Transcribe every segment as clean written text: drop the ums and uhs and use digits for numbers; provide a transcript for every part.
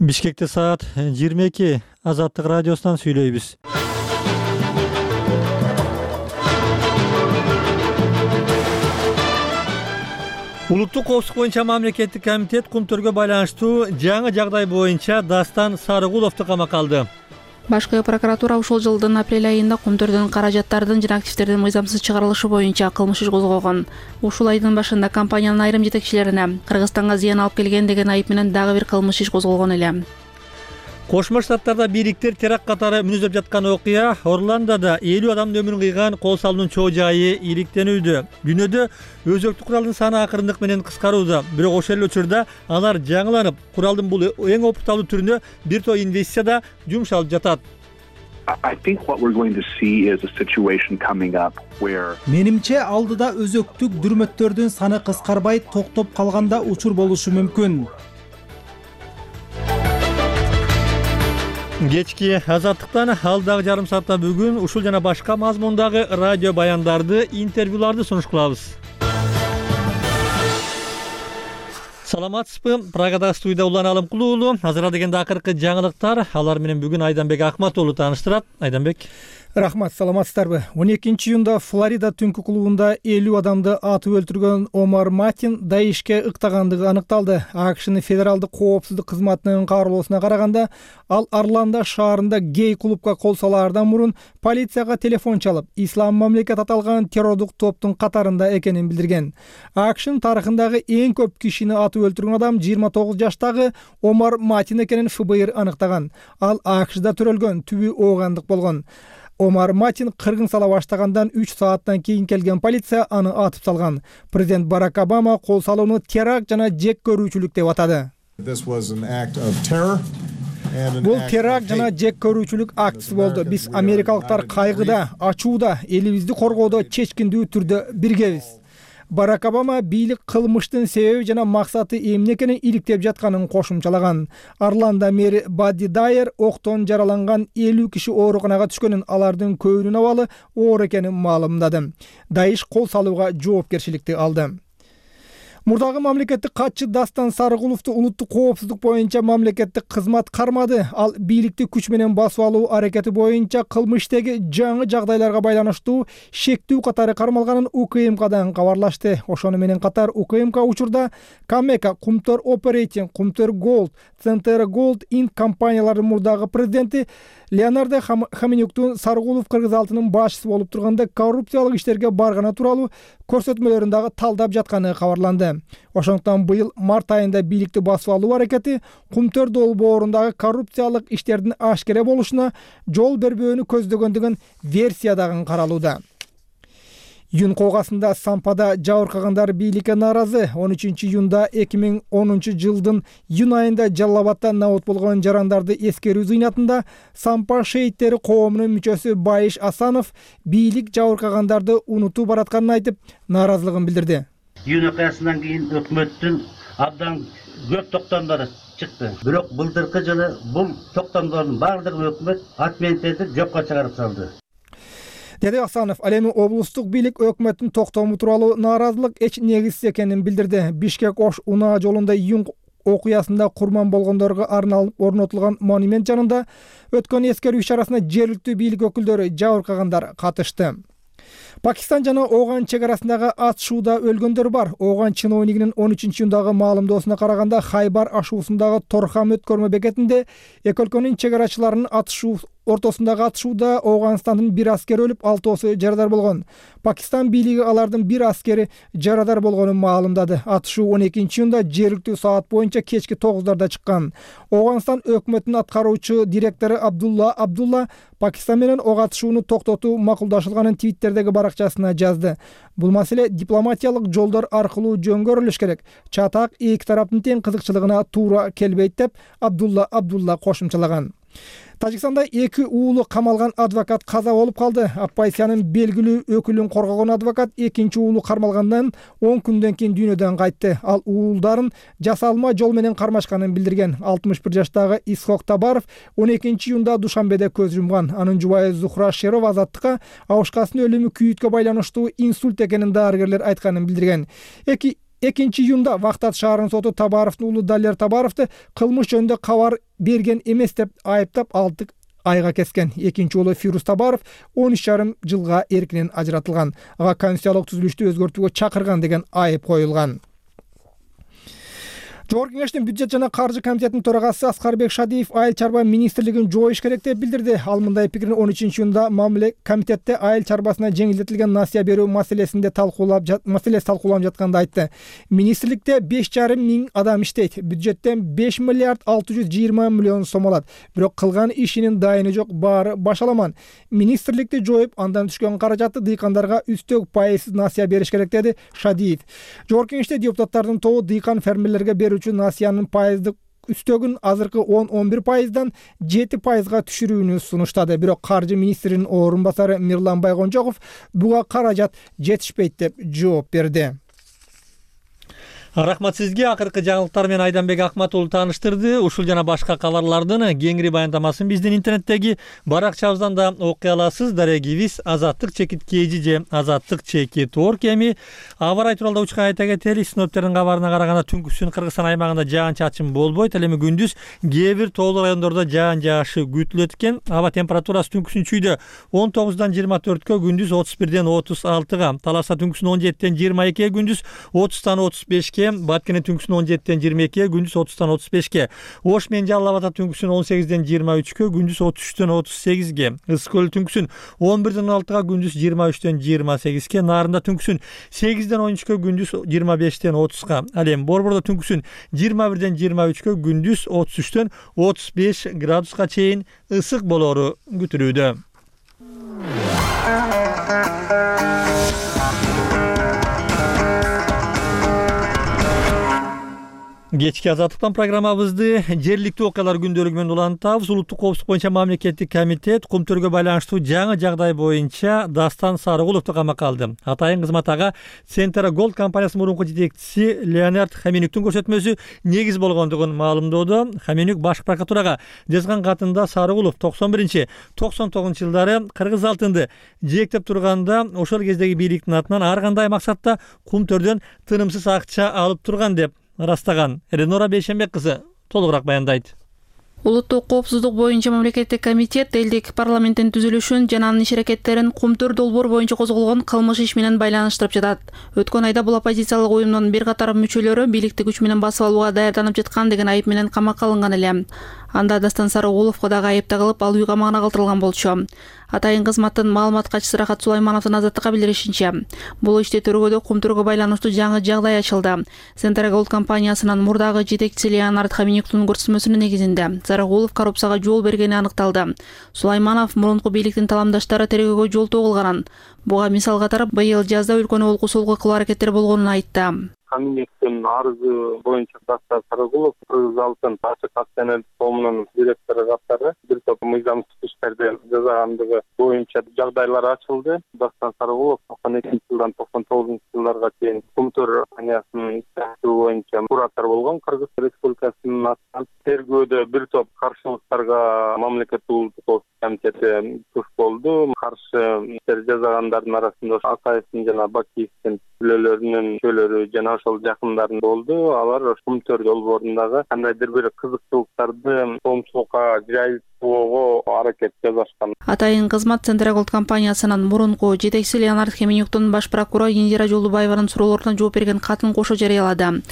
Бишкекте саат 22 Азаттык радиосунан сүйлөйбүз. Улуттук коопсуздук боюнча мамлекеттик комитет Кумтөргө байланыштуу жаңы жагдай боюнча Дастан Сарыгуловду камакка алды. Башкы прокуратура ушул жылдын апрель айында Кумтөрдөн каражаттардын жана активдердин мыйзамсыз чыгарылышы боюнча кылмыш иш козгогон. Ушул айдын башында компаниянын айрым жетекчилерине Кыргызстанга зыян алып келген деген айып менен дагы бир кылмыш иш козголгон эле. Кошмо Штаттарда бийликтер теракт катары мүнөздөп жаткан окуя Орландода 50 адамдын өмүрүн кыйган кол салуунун чоо жайы иликтенүүдө. Дүйнөдө өзөктүк куралдын саны акырындык менен кыскарууда. Бирок ошол эле учурда алар жаңыланып, куралдын бул эң оптукталуу түрүнө бир топ инвестиция да жумшалып жатат. Менимче алдыда өзөктүк дүрмөттөрдүн саны кыскарбай токтоп калганда учур болушу мүмкүн. Кечки Азаттыктан алдагы жарым саатта бүгүн ушул жана башка мазмундагы радио баяндарды, интервьюларды сунуш кылабыз. Саламатсызбы? Прагада студияда Улан Алымкулуу уулу. Азыр дегенде акыркы жаңылыктар. Алар менен бүгүн Айданбек Акматову тааныштырат. Айданбек. Рахмат, саламатсыздарбы? 12-июнда Флорида түнкү клубунда 50 адамды атып өлтүргөн Омар Матин Даишке ыктагандыгы аныкталды. АКШнын федералдык коопсуздук кызматынын каарылоосуна караганда, ал Орландо шаарында гей клубка кол салаардан мурун полицияга телефон чалып, Ислам мамлекет аталган террордук топтун катарында экенин билдирген. АКШнын тарыхындагы эң көп кишини атып өлтүргөн адам 29 жаштагы Омар Матин экенин ФБР аныктаган. Ал АКШда төрөлгөн, түбү оогандык болгон. Омар Матин кыргын сала баштагандан 3 сааттан кийин келген полиция аны атып салган. Президент Барак Обама кол салууну теракт жана жек көрүүчүлүк деп атады. Бул теракт жана жек көрүүчүлүк актысы болду. Биз америкалыктар кайгыда, ачууда, элибизди коргоодо чечкиндүү түрдө биргебиз. Барак Обама бийлик кылмыштын себеби жана максаты эмне экенин иликтеп жатканын кошумчалаган. Орландо мэри Бадди Дайер октон жараланган 50 киши ооруканага түшкөнүн, алардын көбүнүн абалы оор экенин маалымдады. Даиш кол салууга жоопкерчиликти алды. Мурдагы мамлекеттик катчы Дастан Сарыгуловду улуттук коопсуздук боюнча мамлекеттик кызмат кармады. Ал бийликти күч менен басып алуу аракети боюнча кылмыштагы жаңы жагдайларга байланыштуу шектүү катары кармалганын УКМКдан кабарлашты. Ошону менен катар УКМК учурда Камека, Кумтөр Оперейтинг, Кумтөр Голд, Центер Голд Инк компанияларынын мурдагы президенти Леонардо Хоменюктун Сарыгулов Кыргыз алтынын башчысы болуп турганда коррупциялык иштерге барганы тууралуу көрсөтмөлөрүн дагы талдап жатканы кабарланды. Ошондуктан быйыл март айында бийликти басып алуу аракети Кумтөр долбоорундагы коррупциялык иштердин ашкере болушуна жол бербөөнү көздөгөн версия дагы каралууда. Июнь когасында Сампада жабыркагандар бийликке нааразы. 13-июнда 2010 жылдын июнь айында Жалал-Абадда набут болгон жарандарды эскерүү зыйнатында Сампа шейиттери коомунун мүчөсү Байыш Асанов бийлик жабыркагандарды унутуп баратканын айтып, нааразылыгын билдирди. Июнь окуясынан кийин өкмөттүн абдан көп токтомдору чыкты. Бирок былтыркы жылы бул токтомдордун бардыгын өкмөт отментерди жокко чыгарып салды. Деди Асанов, ал эми облустук бийлик өкмөттүн токтому тууралуу нааразылык эч негизсиз экенин билдирди. Бишкек-Ош унаа жолунда июнь окуясында курман болгондорго арналып орнотулган монумент жанында өткөн эскерүү иш-чарасына жергиликтүү бийлик өкүлдөрү, жабыркагандар катышты. Пакистан жана Ооган чек арасындагы атышууда өлгөндөр бар. Ооган чиновнигинин 13-июндагы маалымдоосуна караганда, Хайбар ашуусундагы Торхам өткөрмө бекетинде эки өлкөнүн чек арачыларынын ортосундагы атышууда Ооганстандын бир аскери өлүп, 6 жарадар болгон. Пакистан бийлиги алардын бир аскери жарадар болгонун маалымдады. Атышуу 12-июнда жергиликтүү саат боюнча кечки 9:00 чыккан. Ооганстан өкмөтүнүн аткаруучу директору Абдулла Пакистан менен ок атышууну токтотуу макулдашылганын Твиттердеги баракчасына жазды. Бул маселе дипломатиялык жолдор аркылуу жөнгөрүлүш керек. Чатак эки тараптын тең кызыкчылыгына туура келбейт деп Абдулла кошумчалаган. Тажикстанда 2 уулу камалган адвокат каза болуп калды. Оппозициянын белгилүү өкүлүн коргогон адвокат 2 уулу кармалгандан 10 күндөн кийин дүйнөдөн кайтты. Ал уулдарын жасалма жол менен кармашканын билдирген. 61 жаштагы Исхок Табаров 12-июнда Душанбеде көз жумган. Анын жубайы Зухра Шеров Азаттыкка Аушкастын өлүмү күйүткө байланыштуу инсульт экенин дарыгерлер айтканын билдирген. 2-июнда Вахтат шаарынын соту Табаровдун уулу Далер Табаровду кылмыш жөнүндө кабар берген эмес деп айыптап 6 айга кескен. Экинчи уулу Фирус Табаров 13,5 жылга эркинен ажыратылган. Ага конституциялык түзүлүштү өзгөртүүгө чакырган деген айып коюлган. Жогорку Кеңештин бюджет жана каржы комитетинин төрагасы Аскарбек Шадиев айыл чарба министрлигин жооюш керек деп билдирди. Ал мындай пикирин 13-июнда мамиле комитетте айыл чарбасына жеңилдетилген насыя берүү маселесинде талкууланып жатканда айтты. Министрликте 5,5 миң адам иштейт. Бюджеттен 5 миллиард 620 миллион сом алат. Бирок кылган ишинин дайыны жок, баары башаламан. Министрликти жоюп, андан түшкөн каражатты дыйкандарга үстөк пайызсыз насыя бериш керек деди Шадиев. Жогорку Кеңеште депутаттардын тобу дыйкан фермерлерге берүүчү насыянын пайыздык үстөгүн азыркы 10-11%дан 7%га түшүрүүнү сунуштады. Бирок каржы министринин орун басары Мирлан Байгонжоков буга каражат жетишпейт деп жооп берди. Рахмат сизге. Акыркы жаңылыктар менен Айданбек Акмат уулу тааныштырды. Ушул жана башка кабарлардын кеңири баяндамасын биздин интернеттеги баракчабыздан да окуй аласыз. Дарегибиз azatlyk-kg же azatlyk-org эми аба ырайы тууралуу учка айта кетели. Синоптиктердин кабарына караганда түнкүсүн Кыргызстан аймагында жаан-чачын болбойт. Ал эми күндүз кээ бир тоолуу райондордо жаан жаашы күтүлөт экен. Аба температурасы түнкүсүн чүйдө 19-дан 24-кө, күндүз 31-ден 36-га, Таласта түнкүсүн 17-ден 22-ге, күндүз 30-тан 35-ке, Баткене түнкүсүн 17-ден 22-ге, күндүз 30-тан 35-ке, Ош менен Жалал Абад түнкүсүн 18-ден 23-кө, күндүз 33-төн 38-ге, Ысык көл түнкүсүн 11-ден 16-га, күндүз 23-төн 28-ке, Нарында түнкүсүн 8-ден 13-кө, күндүз 25-ден 30-га, ал эми Борбордо түнкүсүн 21-ден 23-кө, күндүз 33-төн 35 градуска чейин ысык болору күтүлүүдө. Кечки азаттыктан программабызды жергиликтүү окуялар күндөлүгү менен улантабыз. Улуттук коопсуздук боюнча мамлекеттик комитет Кумтөргө байланыштуу жаңы жагдай боюнча Дастан Сарыгуловду камакка алды. Атайын кызмат ага Центра Голд компаниясынын мурунку жетекчиси Леонард Хаменюктун көрсөтмөсү негиз болгондугун маалымдоодо. Хаменюк баш прокуратурага жазган катында Сарыгулов 91-99 жылдары Кыргыз алтынды жээктеп турганда ошол кездеги бийликтин атынан ар кандай максатта Кумтөрдөн тынымсыз акча алып турган деп растаган. Ренора Бейшембек кызы толугураак баяндайт. Улуттук коопсуздук боюнча мамлекеттик комитет элдик парламенттин түзүлүшүн жана анын иш-аракеттерин Кумтөр долбоор боюнча козголгон кылмыш иш менен байланыштырып жатат. Өткөн айда бул оппозициялык уюмдун бир катар мүчөлөрү бийликти күч менен басып алууга даярданып жаткан деген айып менен камакка алынган эле. Анда Дастан Сарыгуловго дагы айып тагылып, ал үй камагына калтырылган болчу. Атайын кызматтын маалымат катчысы Рахат Сулаймановдун азаттыкка билдиришинче, бул ишти төрөгөдө Кумтөргө байланыштуу жаңы жагдай ачылды. Центра Голд компаниясынын мурдагы жетекчиси Леонард Хаменюктун көрсөтмөсүнүн негизинде Сарыгулов коррупцияга жол бергени аныкталды. Сулайманов мурунку бийликтин таламдаштары тергөөгө жолтоо кылганын, буга мисал катары быйыл жазда өлкөнү олку солку кылуу аракеттери болгонун айтты. Хаменюктун арызы боюнча Дастан Сарыгулов Кыргыз алтын ачык акционерлик коомунун директору катары бир топ мыйзамсыз иштерди жасагандыгы боюнча жагдайлар ачылды. Дастан Сарыгулов 92-жылдан 99-жылдарга чейин Кумтөр компаниясынын иши боюнча куратор болгон. Кыргыз Республикасынын атынан тергөөдө бир топ каршылыктарга мамлекеттик улуттук коопсуздук комитети туш болду. Каршы иштер жасагандардын арасында Акаевдин жана Бакиевдин мүчөлөрүнүн мүчөлөрү жана ошол жакындарын болду. Алар Кумтөр долбоорундагы кандайдыр бир кызыкчылыктарды коомчулукка жайылтууга аракет жасашкан. Атайын кызмат Центра Голд компаниясынын мурунку жетекчиси Леонард Хаменюктун баш прокурор Индира Жолдубаеванын суроолоруна жооп берген катын кошо жарыялады.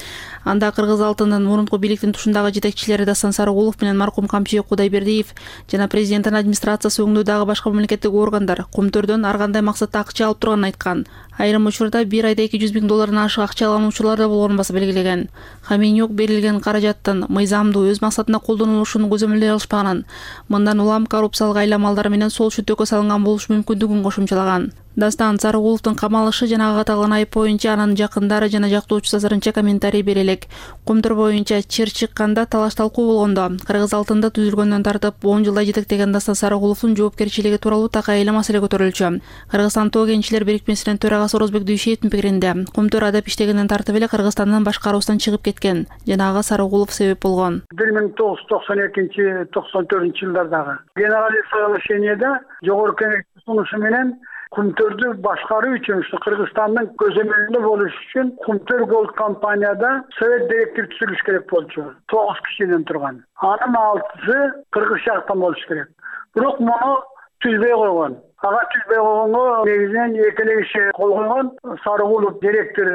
Анда Кыргыз алтынын мурунку бийликтин тушундагы жетекчилери Дастан Сарыгулов менен маркум Камчыбек Кудайбердиев жана президенттин администрациясы өңдүү дагы башка мамлекеттик органдар Кумтөрдөн ар кандай максатта акча алып турганын айткан. Айрым учурда бир айда 200 миң доллардан ашык акча алган учурлар да болгонун баса белгилеген. Хаменюк берилген каражаттын мыйзамдуу өз максатына колдонулушун көзөмөлдөй алышпаганын, мындан улам коррупциялык айлам менен сол шүттөккө салынган болушу мүмкүндүгүн кошумчалаган. Дастан Сарыгуловдун камалышы жана ага тагылган айып боюнча анын жакындары жана жактоочусу азырынча комментарий бере элек. Кумтөр боюнча чыр чыкканда талаш талкуу болгондо Кыргыз алтында түзүлгөндөн тартып 10 жылдай жетектеген Дастан Сарыгуловдун жоопкерчилиги тууралуу такайла маселе көтөрүлчү. Кыргызстан тоо кенчилер бирикмесинин төрагасы Орозбек Дүйшеевдин пикиринде Кумтөр адап иштегенден тартып эле Кыргызстандын башкаруусунан чыгып кеткен жана ага Сарыгулов себеп болгон. 1992-94 жылдардагы генеральное соглашениеде жогорку кеңештин сунушу менен Кумтөрдү башкаруу үчүн ушу Кыргызстандын көзөмөлүндө болуш үчүн Кумтөр Голд компанияда совет директор түзүлүш керек болчу. 9 кишиден турган. Анын 6-сы кыргыз жактан болуш керек. Бирок муну түзбөй койгон. Ага түзбөй койгонго негизинен экеле киши кол койгон. Сарыгулов директор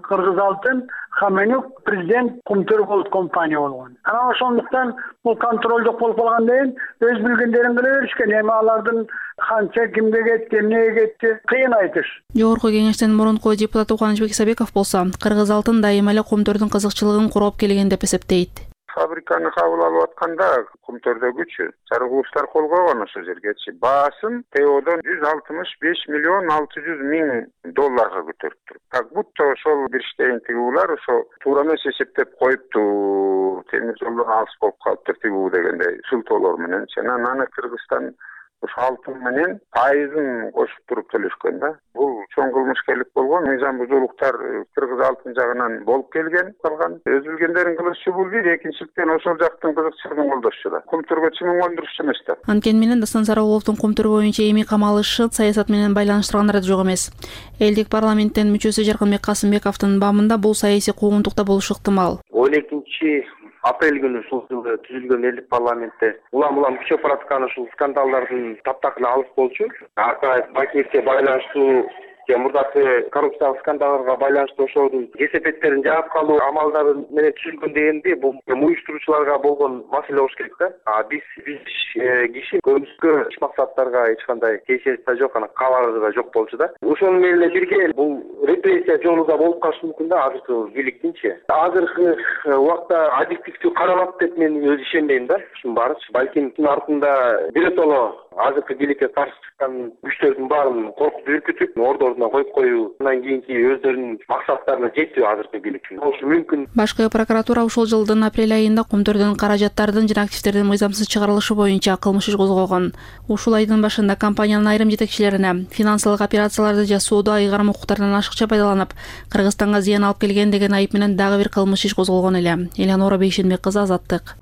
Кыргыз Алтын, Хаменюк президент Кумтөр Голд компания болгон. Анан ошондуктан бул контролдук болуп калгандан кийин өз билгендерин кыла беришкен. Эми алардын канча кимге кетти, эмнеге кетти кыйын айтыш. Жогорку кеңештин мурунку депутаты Кубанычбек Исабеков болсо Кыргыз Алтын дайыма эле Кумтөрдүн кызыкчылыгын короп келген деп эсептейт. Фабриканы кабыл алып атканда Кумтөрдөгүчү Сарыгуловдор кол койгон ошол жергечи. Баасын ТОдон 165 миллион 600 миң долларга көтөрүптүр. Как будто ошол бир иштейин тигүүлөр ошо туура эмес эсептеп коюпту. Темир жолдон алыс болуп калыптыр тигүү дегендей шылтоолор менен. Анан аны Кыргызстан ошо алтын менен пайызын кошуп туруп төлөшкөн да. Бул чоң кылмышкерлик болгон. Мыйзам бузуулуктар Кыргыз Алтын жагынан болуп калган. Өз билгендерин кылышчу бул бир, экинчиликтен ошол жактын кызыкчылыгын колдошчу да. Кумтөргө чымын кондурушчу эмес да. Анткени менен Дастан Сарыгуловдун Кумтөр боюнча эми камалышы саясат менен байланыштыргандар да жок эмес. Элдик парламенттин мүчөсү Жаркынбек Касымбековдун бамында бул саясий куугунтукта болушу ыктымал. 12-апрель күнү ушул жылы түзүлгөн элдик парламентте улам күчөп бараткан ушул скандалдардын таптакына алыс болчу. Бакиевге байланыштуу мурдакы коррупциялык скандалдарга байланыштуу ошонун кесепеттерин жаап калуу амалдары менен түзүлгөн дегенде бул уюштуруучуларга болгон маселе болуш керек да. Биз киши көбүнчө иш максаттарга эч кандай кейсес да жок, анан кабары да жок болчу да. Ошону менен бирге бул репрессия жолунда болуп калышы мүмкүн да азыркы бийликтинчи. Азыркы убакта объективдүү каралат деп мен өзү ишенбейм да. Ушунун баарычы балким артында биротоло азыркы бийликке каршы чыккан күчтөрдүн баарын коркутуп үркүтүп ордордуна коюп коюу, андан кийинки өздөрүнүн максаттарына жетүү азыркы бийлик болушу мүмкүн. Башкы прокуратура ушул жылдын апрель айында Кумтөрдөн каражаттардын жана активдердин мыйзамсыз чыгарылышы боюнча кылмыш иш козгогон. Ушул айдын башында компаниянын айрым жетекчилерине финансылык операцияларды жасоодо айгарым укуктарынан ашыкча пайдаланып, Кыргызстанга зыян алып келген деген айып менен дагы бир кылмыш иш козголгон эле. Элеонора Бейшенбек кызы, Азаттык.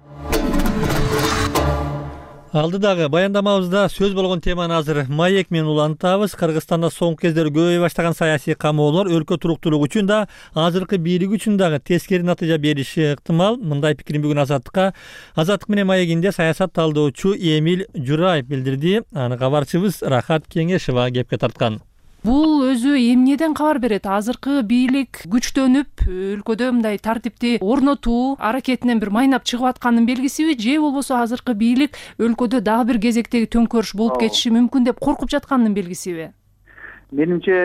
Алдыдагы баяндамабызда сөз болгон теманы азыр маек менен улантабыз. Кыргызстанда соңку кездери көбөйө баштаган саясий камоолор өлкө туруктуулугу үчүн да, азыркы бийлик үчүн дагы тескери натыйжа бериши ыктымал. Мындай пикирин бүгүн Азаттык менен маегинде саясат талдоочу Эмиль Жураев билдирди. Аны кабарчыбыз Рахат Кеңешева кепке тарткан. Бул өзү эмнеден кабар берет? Азыркы бийлик күчтөнүп, өлкөдө мындай тартипти орнотуу аракетинен бир майнап чыгып атканын белгисиби, же болбосо азыркы бийлик өлкөдө дагы бир кезектеги төңкөрүш болуп кетиши мүмкүн деп коркуп жатканын белгисиби? Менимче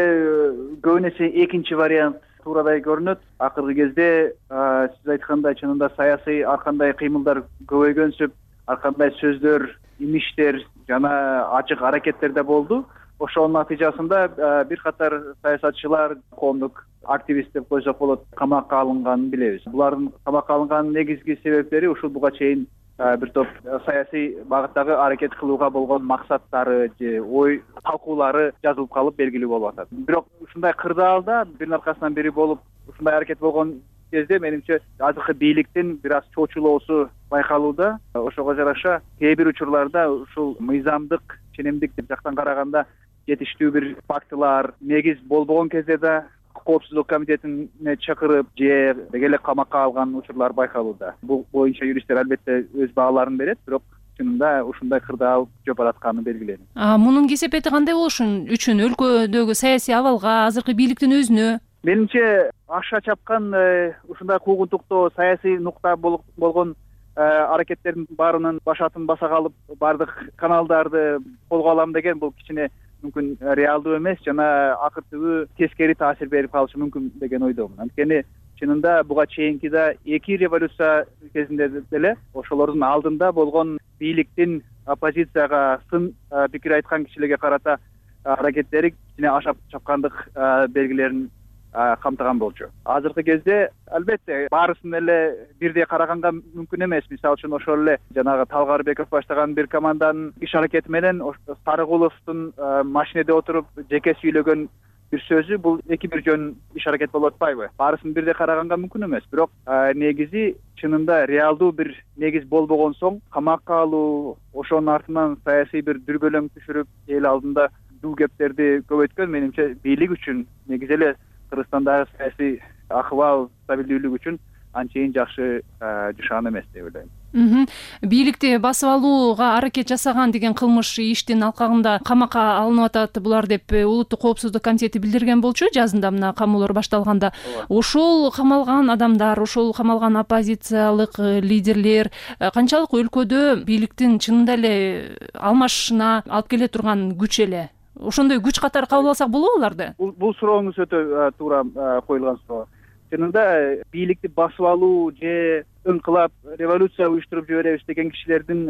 көбүн эсе экинчи вариант туурадай көрүнөт. Акыркы кезде сиз айткандай чынында саясий ар кандай кыймылдар көбөйгөнсүп, ар кандай сөздөр, имиштер жана ачык аракеттер да болду. Ошонун натыйжасында бир катар саясатчылар, коомдук активист деп койсок болот, камакка алынганын билебиз. Булардын камакка алынганын негизги себептери ушул буга чейин бир топ саясий багыттагы аракет кылууга болгон максаттары же ой талкуулары жазылып калып белгилүү болуп атат. Бирок ушундай кырдаалда биринин аркасынан бири болуп ушундай аракет болгон кезде менимче азыркы бийликтин бир аз чоочулоосу байкалууда. Ошого жараша кээ бир учурларда ушул мыйзамдык, ченемдик жактан караганда жетиштүү бир фактылар негиз болбогон кезде да коопсуздук комитетине чакырып же деги эле камакка алган учурлар байкалууда. Бул боюнча юристтер албетте өз бааларын берет, бирок чынында ушундай кырдаал жок атканы белгиленет. Мунун кесепети кандай болушу үчүн өлкөдөгү саясий абалга, азыркы бийликтин өзүнө? Менимче аша чапкан ушундай куугунтуктоо саясий нукта болгон аракеттердин баарынын башатын баса калып, бардык каналдарды колго алам деген бул кичине мүмкүн реалдуу эмес жана акыр түбү тескери таасир берип калышы мүмкүн деген ойдомун. Анткени чынында буга чейинки да эки революция кезинде деле ошолордун алдында болгон бийликтин оппозицияга сын пикир айткан кишилерге карата аракеттери кичине ашап чапкандык белгилерин камтыган болчу. Азыркы кезде албетте баарысын эле бирдей караганга мүмкүн эмес. Мисалы үчүн ошол эле жанагы Талгарбеков баштаган бир команданын иш аракети менен Сарыгуловдун машинеде отуруп жеке сүйлөгөн бир сөзү бул эки бир жөн иш аракет болуп атпайбы? Баарысын бирдей караганга мүмкүн эмес. Бирок негизи чынында реалдуу бир негиз болбогон соң камакка алуу, ошонун артынан саясий бир дүрбөлөң түшүрүп эл алдында бул кептерди көбөйткөн менимче бийлик үчүн негизи эле Кыргызстандагы саясий акыбал, стабилдүүлүк үчүн анчейин жакшы жашаган эмес деп ойлойм. Бийликти басып алууга аракет жасаган деген кылмыш иштин алкагында камакка алынып атат булар деп Улуттук коопсуздук комитети билдирген болчу жазында мына камоолор башталганда. Ошол камалган адамдар, ошол камалган оппозициялык лидерлер канчалык өлкөдө бийликтин чынында эле алмашына алып келе турган күч эле? Ошондой күч катары кабыл алсак болобу аларды? Бул сурооңуз өтө туура коюлган суроо. Чынында бийликти басып алуу же ыңкылап революция уюштуруп жиберебиз деген кишилердин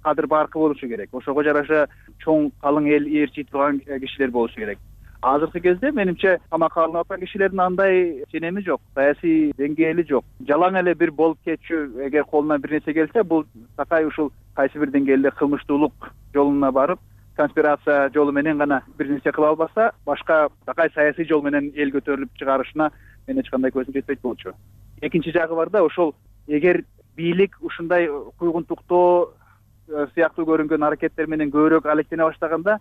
кадыр баркы болушу керек. Ошого жараша чоң калың эл ээрчий турган кишилер болушу керек. Азыркы кезде менимче камакка алынып аткан кишилердин андай ченеми жок, саясий деңгээли жок. Жалаң эле бир болуп кетчү эгер колунан бир нерсе келсе, бул такай ушул кайсы бир деңгээлде кылмыштуулук жолуна барып, конспирация жолу менен гана бир нерсе кыла албаса, башка такай саясий жол менен эл көтөрүлүп чыгарышына мен эч кандай көзүм жетпейт болчу. Экинчи жагы бар да, ошол эгер бийлик ушундай куйгунтуктоо сыяктуу көрүнгөн аракеттер менен көбүрөөк алектене баштаганда,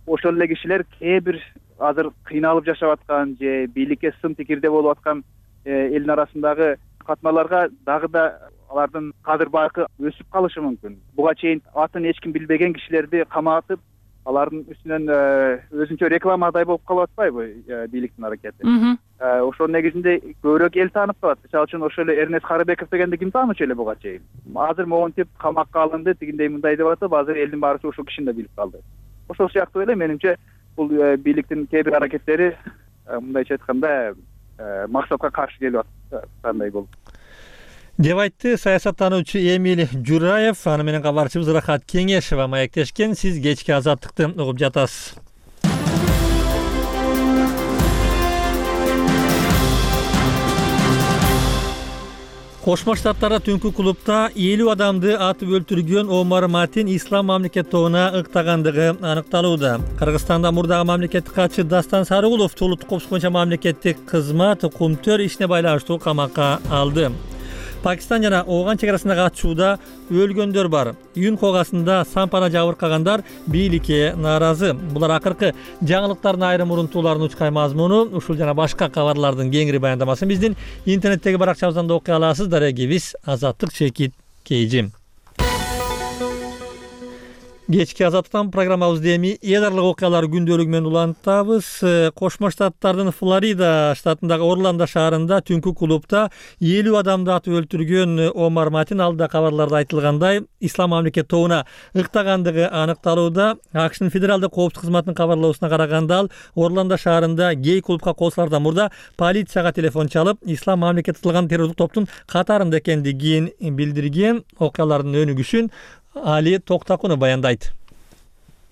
ошол эле кишилер кээ бир азыр кыйналып жашап аткан же бийликке сын пикирде болуп аткан элдин арасындагы катмаларга дагы да алардын кадыр баркы өсүп калышы мүмкүн. Буга чейин атын эч ким билбеген кишилерди каматып, алардын үстүнөн өзүнчө рекламадай болуп калып атпайбы бийликтин аракети? Ошонун негизинде көбүрөөк эл таанып калат. Мисалы үчүн ошол эле Эрнест Карыбеков дегенди ким таанычу эле буга чейин? Азыр могинтип камакка алынды, тигиндей мындай деп атып, азыр элдин баары ошол кишини да билип калды. Ошол сыяктуу эле менимче бул бийликтин кээ бир аракеттери мындайча айтканда максатка каршы келип аткандай болду деп айтты саясаттануучу Эмиль Жураев. Аны менен кабарчыбыз Рахат Кеңешева маектешкен. Сиз кечки Азаттыкты угуп жатасыз. Кошмо Штаттарда түнкү клубда 50 адамды атып өлтүргөн Омар Матин ислам мамлекет тобуна ыктагандыгы аныкталууда. Кыргызстанда мурдагы мамлекеттик катчы Дастан Сарыгулов улуттук коопсуздук боюнча мамлекеттик кызмат Кумтөр ишине байланыштуу камакка алды. Пакистан жана Ооган чек арасындагы атышууда өлгөндөр бар. Үйүн когасында сампана жабыркагандар бийликке нааразы. Булар акыркы жаңылыктардын айрым урунтууларын учкай мазмуну, ушул жана башка кабарлардын кеңири баяндамасын биздин интернеттеги баракчабыздан да окуй аласыз. Дарегибиз Азаттык чекит KG. Кечки Азаттыктан программабызды эми эдарлык окуялар күндөлүгү менен улантабыз. Кошмо Штаттардын Флорида штатындагы Орландо шаарында түнкү клубда 50 адамды атып өлтүргөн Омар Матин алда кабарларда айтылгандай ислам мамлекет тобуна ыктагандыгы аныкталууда. АКШнын федералдык коопсуздук кызматынын кабарлоосуна караганда ал Орландо шаарында гей клубка кол салардан мурда полицияга телефон чалып, ислам мамлекет аталган террорлук топтун катарында экендигин билдирген. Окуялардын өнүгүшүн Али Токтакунов баяндайт.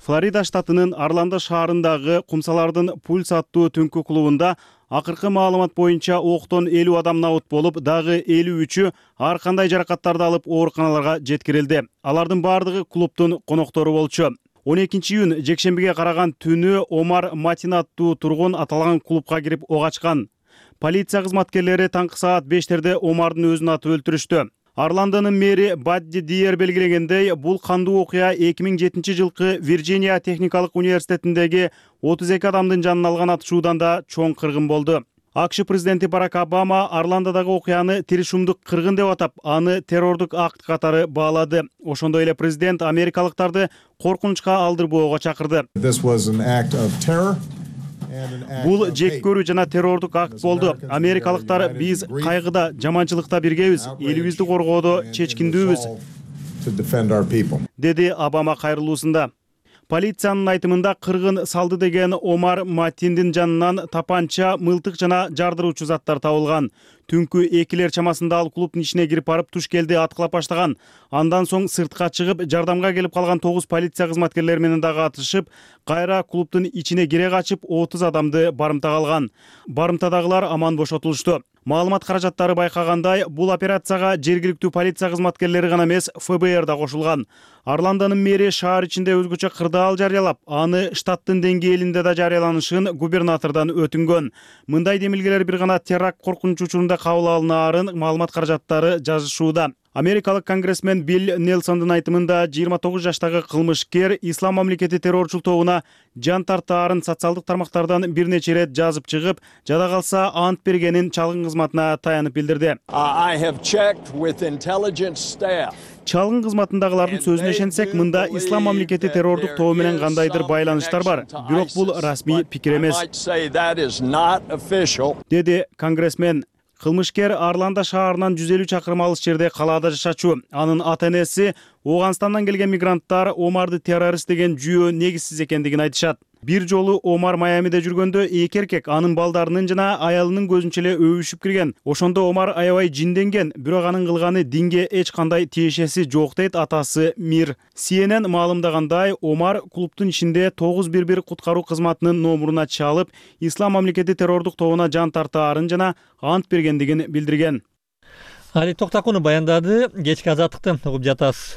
Флорида штатынын Орландо шаарындагы Кумсалардын Пульс аттуу түнкү клубунда акыркы маалымат боюнча октон 50 адам наут болуп, дагы 53-ü ар кандай жаракаттарды алып ооруканаларга жеткирилди. Алардын бардыгы клубдун коноктору болчу. 12-июнь жекшембиге караган түнү Омар Матин аттуу тургун аталган клубка кирип ок ачкан. Полиция кызматкерлери таңкы саат 5-терде Омардын өзүн атып өлтүрүштү. Орландонун мэри Бадди Диер белгилегендей, бул кандуу окуя 2007-жылкы Вирджиния техникалык университетиндеги 32 адамдын жанын алган атышуудан да чоң кыргын болду. АКШ президенти Барак Обама Орландодагы окуяны тиришумдук кыргын деп атап, аны террордук акт катары баалады. Ошондой эле президент америкалыктарды коркунучка алдырбоого чакырды. Бул жек көрүү жана террордук акт болду. Америкалыктар биз кайгыда, жаманчылыкта биргебиз, элибизди коргоодо чечкиндүүбүз, деди Обама кайрылуусунда. Полициянын айтымында кыргын салды деген Омар Матиндин жанынан тапанча, мылтык жана жардыруучу заттар табылган. Түнкү 2-лер чамасында ал клубдун ичине кирип барып туш келди аткылап баштаган. Андан соң сыртка чыгып, жардамга келип калган 9 полиция кызматкерлери менен дагы атышып, кайра клубдун ичине кире качып 30 адамды барымтага алган. Барымтадагылар аман бошотулушту. Маалымат каражаттары байкагандай, бул операцияга жергиликтүү полиция кызматкерлери гана эмес, ФБР да кошулган. Орландонун мэри шаар ичинде өзгөчө кырдаал жарыялап, аны штаттын деңгээлинде да жарыяланышын губернатордон өтүнгөн. Мындай демилгелер бир гана теракт коркунучу учурунда кабыл алынаарын маалымат каражаттары жазышууда. Америкалык конгрессмен Билл Нельсондун айтымында 29 жаштагы кылмышкер Ислам мамлекети террорчул тобуна жан тартаарын социалдык тармактардан бир нече ирет жазып чыгып, жада калса ант бергенин чалгын кызматына таянып билдирди. Чалгын кызматындагылардын сөзүнө ишенсек, мында Ислам мамлекети террордук тобу менен кандайдыр байланыштар бар, бирок бул расмий пикир эмес, деди конгрессмен. Кылмышкер Орландо шаарынан 150 чакырым алыс жерде калаада жашачу. Анын ата-энеси Ооганстандан келген мигранттар Омарды террорист деген жүйө негизсиз экендигин айтышат. Бир жолу Омар Майамиде жүргөндө эки эркек анын балдарынын жана аялынын көзүнчө эле өбүшүп кирген. Ошондо Омар аябай жинденген, бирок анын кылганы динге эч кандай тиешеси жок дейт атасы Мир. CNN маалымдагандай, Омар клубтун ичинде 911 куткаруу кызматынын номуруна чалып, Ислам мамлекети террордук тобуна жан тартаарын жана ант бергендигин билдирген. Али Токтакунов баяндады. Кечки азаттыкты угуп жатасыз.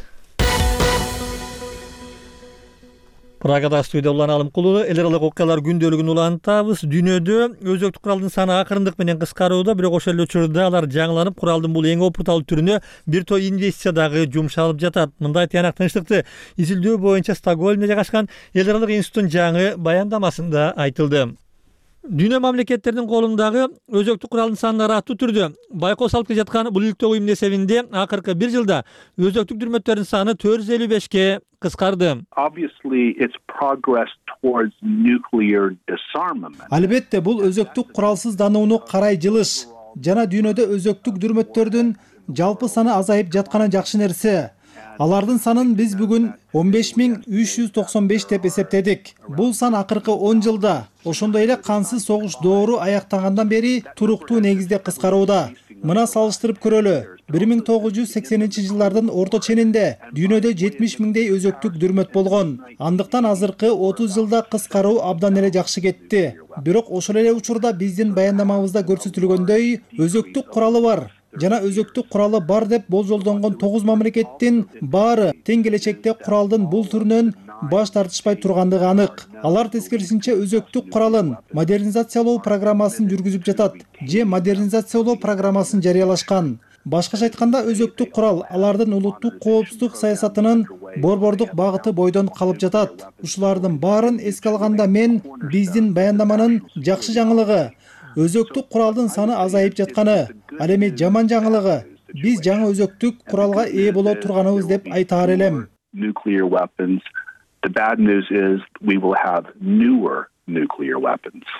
Прагада студия Улан Алымкулу эл аралык окуялар күндөлүгүн улантабыз. Дүйнөдө өзөктүк куралдын саны акырындык менен кыскарууда, бирок ошол эле учурда алар жаңыланып, куралдын бул эң опурталуу түрүнө бир топ инвестиция дагы жумшалып жатат. Мындай тыянак тынчтыкты изилдөө боюнча Стокгольмде жайгашкан эл аралык институттун жаңы баяндамасында айтылды. Дүйнө мамлекеттердин колундагы өзөктүк куралдын санын араттуу түрдө байкоо салып келе жаткан бул иликтөө уюмдун эсебинде акыркы бир жылда өзөктүк дүрмөттөрдүн саны 455ке кыскарды. Албетте бул өзөктүк куралсызданууну карай жылыш жана дүйнөдө өзөктүк дүрмөттөрдүн жалпы саны азайып жатканы жакшы нерсе. Алардын санын биз бүгүн 15395 деп эсептедик. Бул сан акыркы 10 жылда, ошондой эле кансыз согуш доору аяктагандан бери туруктуу негизде кыскарууда. Мына салыштырып көрөлү. 1980-жылдардын орто ченинде дүйнөдө 70 миңдей өзөктүк дүрмөт болгон. Андыктан азыркы 30 жылда кыскаруу абдан эле жакшы кетти. Бирок ошол эле учурда биздин баяндамабызда көрсөтүлгөндөй өзөктүк куралы бар жана өзөктүк куралы бар деп болжолдонгон 9 мамлекеттин баары тең келечекте куралдын бул түрүнөн баш тартышпай тургандыгы анык. Алар тескерисинче өзөктүк куралын модернизациялоо программасын жүргүзүп жатат же модернизациялоо программасын жарыялашкан. Башкача айтканда, өзөктүк курал алардын улуттук коопсуздук саясатынын борбордук багыты бойдон калып жатат. Ушулардын баарын эске алганда мен биздин баяндаманын жакшы жаңылыгы өзөктүк куралдын саны азайып жатканы, ал эми жаман жаңылыгы биз жаңы өзөктүк куралга ээ боло турганыбыз деп айтаар элем.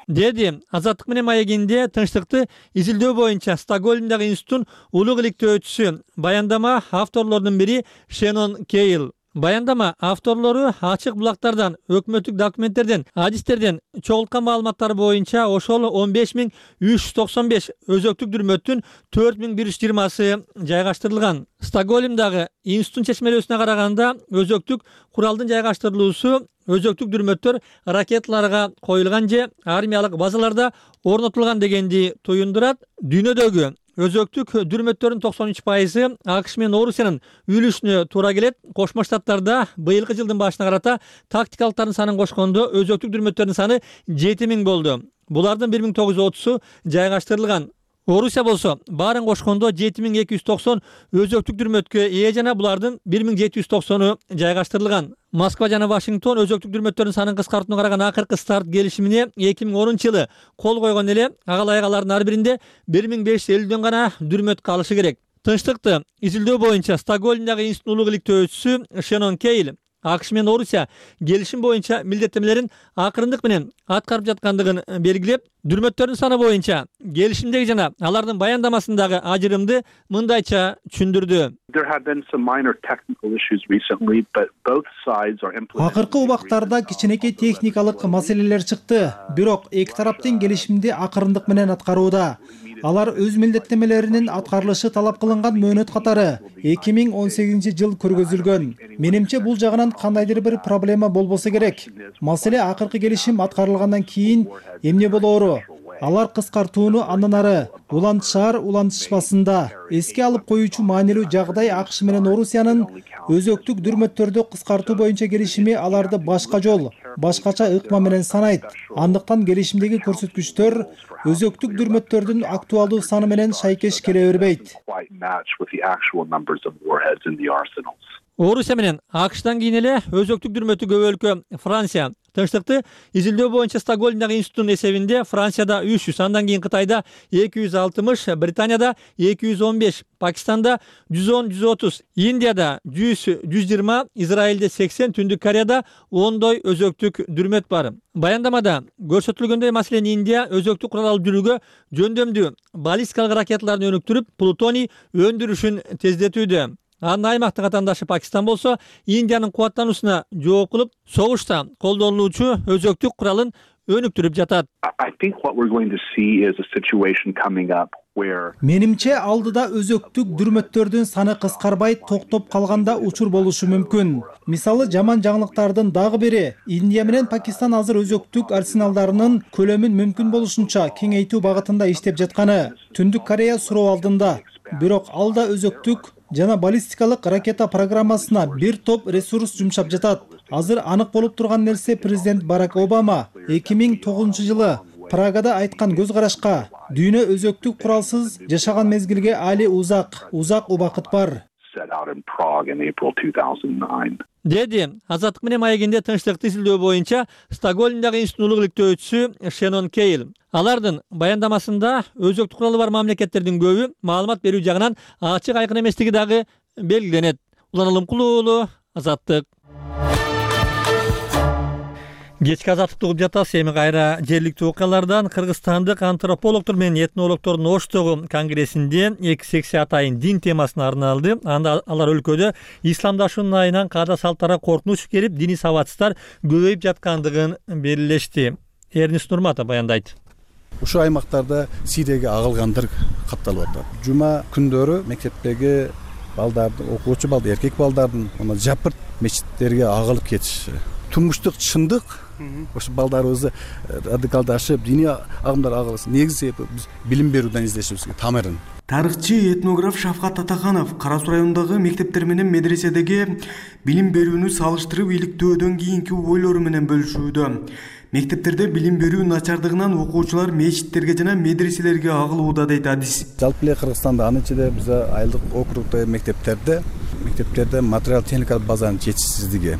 Деди Азаттык менен маегинде тынчтыкты изилдөө боюнча Стокгольмдагы институттун улук иликтөөчүсү. Баяндама авторлордун бири Шенон Кейл. Баяндама авторлору ачык булактардан, өкмөттүк документтерден, адистерден чогулткан маалыматтар боюнча ошол 15395 өзөктүк дүрмөттүн 4120сы жайгаштырылган. Стокгольмдагы институттун чечмелөөсүнө караганда, өзөктүк куралдын жайгаштырылуусу өзөктүк дүрмөттөр ракеталарга коюлган же армиялык базаларда орнотулган дегенди туюндурат. Дүйнөдөгү өзөктүк дүрмөттөрдүн 93% АКШ менен Орусиянын үлүшүнө туура келет. Кошмо Штаттарда быйылкы жылдын башына карата тактикалыктардын санын кошкондо өзөктүк дүрмөттөрдүн саны 7000 болду. Булардын 1930су жайгаштырылган. Орусия болсо баарын кошкондо 7290 өзөктүк дүрмөткө ээ жана булардын 1790у жайгаштырылган. Москва жана Вашингтон өзөктүк дүрмөттөрдүн санын кыскартууна караган акыркы старт келишимине 2010-жылы кол койгон эле. Ага ылайык алардын ар биринде 1550дөн гана дүрмөт калышы керек. Тынчтыкты изилдөө боюнча Стокгольмдагы институттун улук иликтөөчүсү Шенон Кейл АКШ менен Орусия келишим боюнча милдеттенмелерин акырындык менен аткарып жаткандыгын белгилеп, дүрмөттөрдүн саны боюнча келишимдеги жана алардын баяндамасындагы ажырымды мындайча түшүндүрдү. Акыркы убактарда кичинекей техникалык маселелер чыкты, бирок эки тараптын келишимди акырындык менен аткарууда. Алар өз милдеттенмелеринин аткарылышы талап кылынган мөөнөт катары 2018-жыл көргөзүлгөн. Менимче бул жагынан кандайдыр бир проблема болбосо керек. Маселе акыркы келишим аткарылгандан кийин эмне болоору. Алар кыскартууну андан ары улантышаар улантышпасында эске алып коюучу маанилүү жагдай АКШ менен Орусиянын өзөктүк дүрмөттөрдү кыскартуу боюнча келишими аларды башка жол, башкача ыкма менен санайт. Андыктан келишимдеги көрсөткүчтөр өзөктүк дүрмөттөрдүн актуалдуу саны менен шайкеш келе бербейт. Орусия менен АКШтан кийин эле өзөктүк дүрмөтү көп өлкө Франция тынчтыкты изилдөө боюнча Стокгольмдагы институттун эсебинде Францияда 300, андан кийин Кытайда 260, Британияда 215, Пакистанда 110-130, Индияда 100-120, Израилде 80, Түндүк Кореяда 10 өзөктүк дүрмөт бар. Баяндамада көрсөтүлгөндөй, маселен, Индия өзөктүк курал алып жүрүүгө жөндөмдүү баллистикалык ракеталарды өнүктүрүп, плутоний өндүрүшүн тездетүүдө. Анын аймактын катандашы Пакистан болсо, Индиянын кубаттануусуна жооп кылып, согушта колдонулуучу өзөктүк куралын өнүктүрүп жатат. Менимче алдыда өзөктүк дүрмөттөрдүн саны кыскарбай токтоп калганда учур болушу мүмкүн. Мисалы, жаман жаңылыктардын дагы бири, Индия менен Пакистан азыр өзөктүк арсеналдарынын көлөмүн мүмкүн болушунча кеңейтүү багытында иштеп жатканы. Түндүк Корея суроо алдында, бирок ал да өзөктүк жана баллистикалык ракета программасына бир топ ресурс жумшап жатат. Азыр анык болуп турган нерсе, президент Барак Обама 2009-жылы Прагада айткан көз карашка дүйнө өзөктүк куралсыз жашаган мезгилге али узак убакыт бар. Деди Азаттык менен маегинде тынчтыкты изилдөө боюнча Стокгольмдагы институттун иликтөөчүсү Шенон Кейл. Алардын баяндамасында өзөктүк куралы бар мамлекеттердин көбү маалымат берүү жагынан ачык айкын эместиги дагы белгиленет. Улан Алымкулуу уулу, Азаттык. Кечки Азаттыкты угуп жатасыз. Эми кайра жергиликтүү окуялардан. Кыргызстандык антропологдор менен этнологдордун Оштогу конгрессинде 2 секция атайын дин темасына арналды. Анда алар өлкөдө исламдашуунун айынан каада салттарга коркунуч келип, диний сабатсыздар көбөйүп жаткандыгын белгилешти. Эрнест Нурматов баяндайт. Ушул аймактарда Сирияга агылгандар катталып атат. Жума күндөрү мектептеги балдарды, окуучу балдар, эркек балдардын жапырт мечиттерге агылып кетиши. Турмуштук чындык ошо балдарыбызды радикалдашып, диний агымдар агылысын. Негизи биз билим берүүдөн издешибиз тамырын. Тарыхчы этнограф Шавкат Атаханов Кара Суу районундагы мектептер менен медреседеги билим берүүнү салыштырып, иликтөөдөн кийинки ойлору менен бөлүшүүдө. Мектептерде билим берүү начардыгынан окуучулар мечиттерге жана медреселерге агылууда дейт адис. Жалпы эле Кыргызстанда анын ичинде биз айылдык округда мектептерде материал техникалык базанын жетишсиздиги.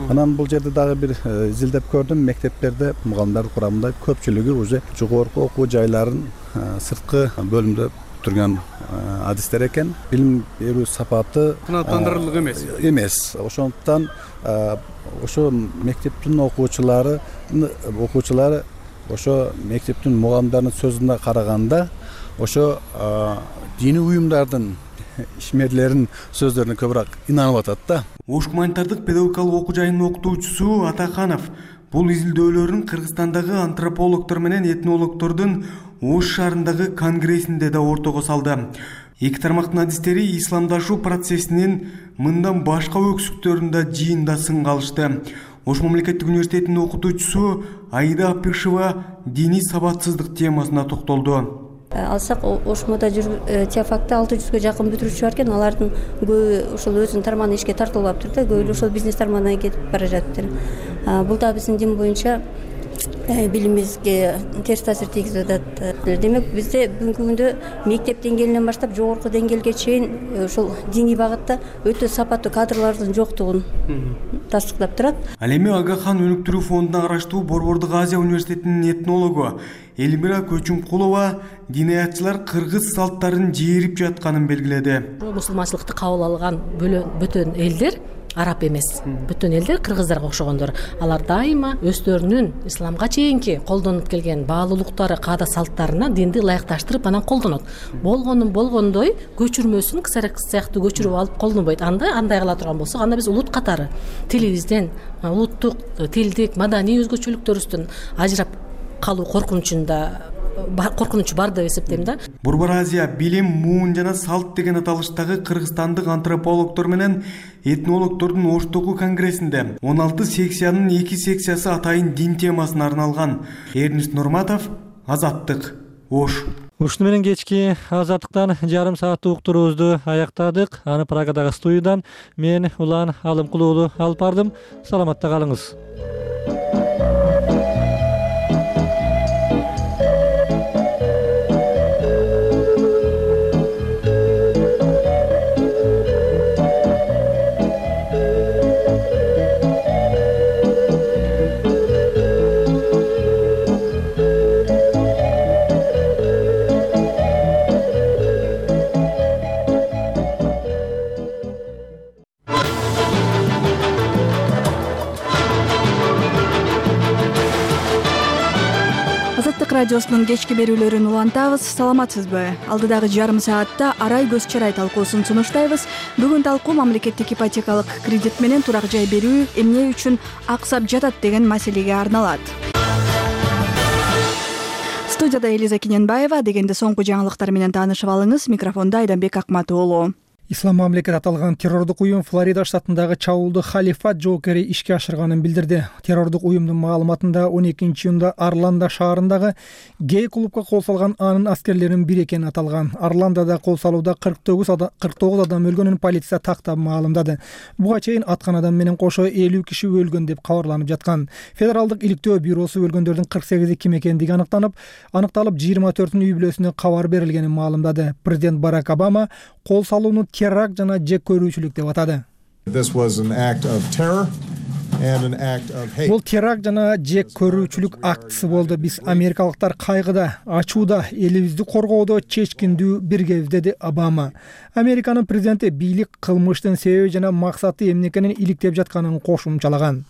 Анан бул жерде дагы бир изилдеп көрдүм, мектептерде мугалимдер курамында көпчүлүгү уже жогорку окуу жайларын сырткы бөлүмдө турган адистер экен. Билим берүү сапаты канааттандырырлык эмес. Ошондуктан ошо мектептин окуучулары ошо мектептин мугалимдеринин сөзүнө караганда ошо диний уюмдардын ишмерлеринин сөздөрүнө көбүрөөк инанып атат да. Ош гуманитардык педагогикалык окуу жайынын окутуучусу Атаханов бул изилдөөлөрүн Кыргызстандагы антропологдор менен этнологдордун Ош шаарындагы конгрессинде да ортого салды. Эки тармактын адистери исламдашуу процессинин мындан башка өксүктөрүндө жыйында сынга алышты. Ош мамлекеттик университетинин окутуучусу Аида Апишева диний сабатсыздык темасына токтолду. Алсак Ошмодо теофакты 600-гө жакын бүтүрүүчү бар экен. Алардын көбү ошол өзүнүн тармагына ишке тартылып алыптыр да, көбү ошол бизнес тармагына кетип бара жатыптыр. Бул да биздин дин боюнча билимибизге терс таасир тийгизип атат. Демек бизде бүгүнкү күндө мектеп деңгээлинен баштап жогорку деңгээлге чейин ошол диний багытта өтө сапаттуу кадрлардын жоктугун тастыктап турат. Ал эми Агахан өнүктүрүү фондуна караштуу Борбордук Азия университетинин этнологу Элмира Көчүмкулова динаятчылар кыргыз салттарын жээрип жатканын белгиледи. Мусулманчылыкты кабыл алган бүтүн элдер араб эмес, бүтүн элдер кыргыздарга окшогондор. Алар дайыма өздөрүнүн исламга чейинки колдонуп келген баалуулуктары, каада салттарына динди ылайыкташтырып анан колдонот. Болгондой көчүрмөсүн ксрк сыяктуу көчүрүп алып колдонбойт. Андай кыла турган болсок, анда биз улут катары тилибизден, улуттук, тилдик, маданий өзгөчөлүктөрүбүздөн ажырап калуу коркунучунда коркунучу бар деп эсептейм да. Борбор Азия билим, муун жана салт деген аталыштагы кыргызстандык антропологдор менен этнологдордун Оштогу конгрессинде 16 секциянын 2 секциясы атайын дин темасына арналган. Эрнист Нурматов, Азаттык, Ош. Ушуну менен кечки Азаттыктан жарым сааттык уктуруубузду аяктадык. Аны Прагадагы студиядан мен Улан Алымкулуу уулу алып бардым. Саламатта калыңыз. Радиосунун кечки берүүлөрүн улантабыз. Саламатсызбы? Алдыдагы жарым саатта арай көз чарай талкуусун сунуштайбыз. Бүгүн талкуу мамлекеттик ипотекалык кредит менен турак жай берүү эмне үчүн аксап жатат деген маселеге арналат. Студияда Элиза Кененбаева. Дегенде соңку жаңылыктар менен таанышып алыңыз. Микрофондо Айданбек Акматуулу. Ислам мамлекет аталган террордук уюм Флорида штатындагы чабуулду халифат жоокери ишке ашырганын билдирди. Террордук уюмдун маалыматында 12-июнда Орландо шаарындагы гей клубка кол салган анын аскерлеринин бири экени аталган. Орландода кол салууда 49 адам өлгөнүн полиция тактап маалымдады. Буга чейин аткан адам менен кошо 50 киши өлгөн деп кабарланып жаткан. Федералдык иликтөө бюросу өлгөндөрдүн 48 ким экендиги аныкталып 24 үй бүлөсүнө кабар берилгенин маалымдады. Президент Барак Обама кол салууну теракт жана жек көрүүчүлүк деп атады. Бул теракт жана жек көрүүчүлүк актысы болду. Биз америкалыктар кайгыда, ачууда, элибизди коргоодо чечкиндүү биргебиз, деди Обама. Американын президенти бийлик кылмыштын себеби жана максаты эмне экенин иликтеп жатканын кошумчалаган.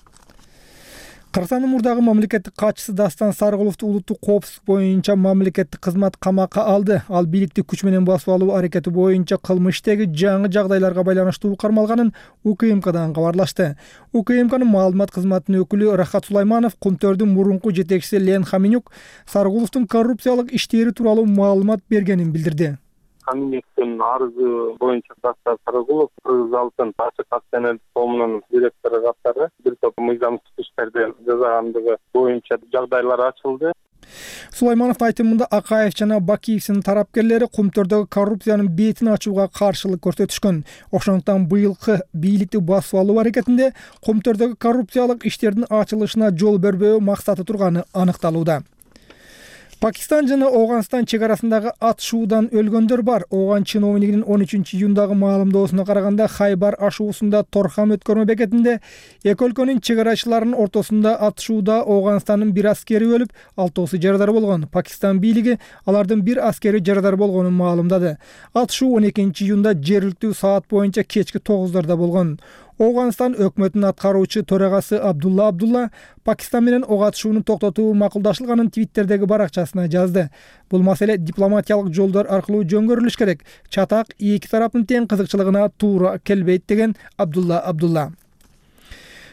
Кыргызстандын мурдагы мамлекеттик катчысы Дастан Сарыгуловду улуттук коопсуздук боюнча мамлекеттик кызмат камакка алды. Ал бийликти күч менен басып алуу аракети боюнча кылмыш иштеги жаңы жагдайларга байланыштуу кармалганын УКМКдан кабарлашты. УКМКнын маалымат кызматынын өкүлү Рахат Сулайманов Кумтөрдүн мурунку жетекчиси Лен Хаминюк Сарыгуловдун коррупциялык иштери тууралуу маалымат бергенин билдирди. Хаминюктун арызы боюнча Дастан Сарыгулов Кыргыз Алтын Ачык акционерлик коомунун директору катары бир топ мыйзамсыз иштерди жасагандыгы боюнча жагдайлар ачылды. Сулаймановдун айтымында Акаев жана Бакиевдин тарапкерлери Кумтөрдөгү коррупциянын бетин ачууга каршылык көрсөтүшкөн. Ошондуктан быйылкы бийликти басып алуу аракетинде Кумтөрдөгү коррупциялык иштердин ачылышына жол бербөө максаты турганы аныкталууда. Пакистан жана Ооганстан чек арасындагы атышуудан өлгөндөр бар. Ооган чиновнигинин 13-июндагы маалымдоосуна караганда Хайбар ашуусунда Торхам өткөрмө бекетинде эки өлкөнүн чек арачыларынын ортосунда атышууда Ооганстандын бир аскери өлүп, 6 жарадар болгон. Пакистан бийлиги алардын бир аскери жарадар болгонун маалымдады. Атышуу 12-июнда жергиликтүү саат боюнча кечки 9:00 болгон. Ооганстан өкмөтүнүн аткаруучу төрагасы Абдулла Пакистан менен ок атышууну токтотуу макулдашылганын Твиттердеги баракчасына жазды. Бул маселе дипломатиялык жолдор аркылуу жөнгөрүлүш керек. Чатак эки тараптын тең кызыкчылыгына туура келбейт, деген Абдулла.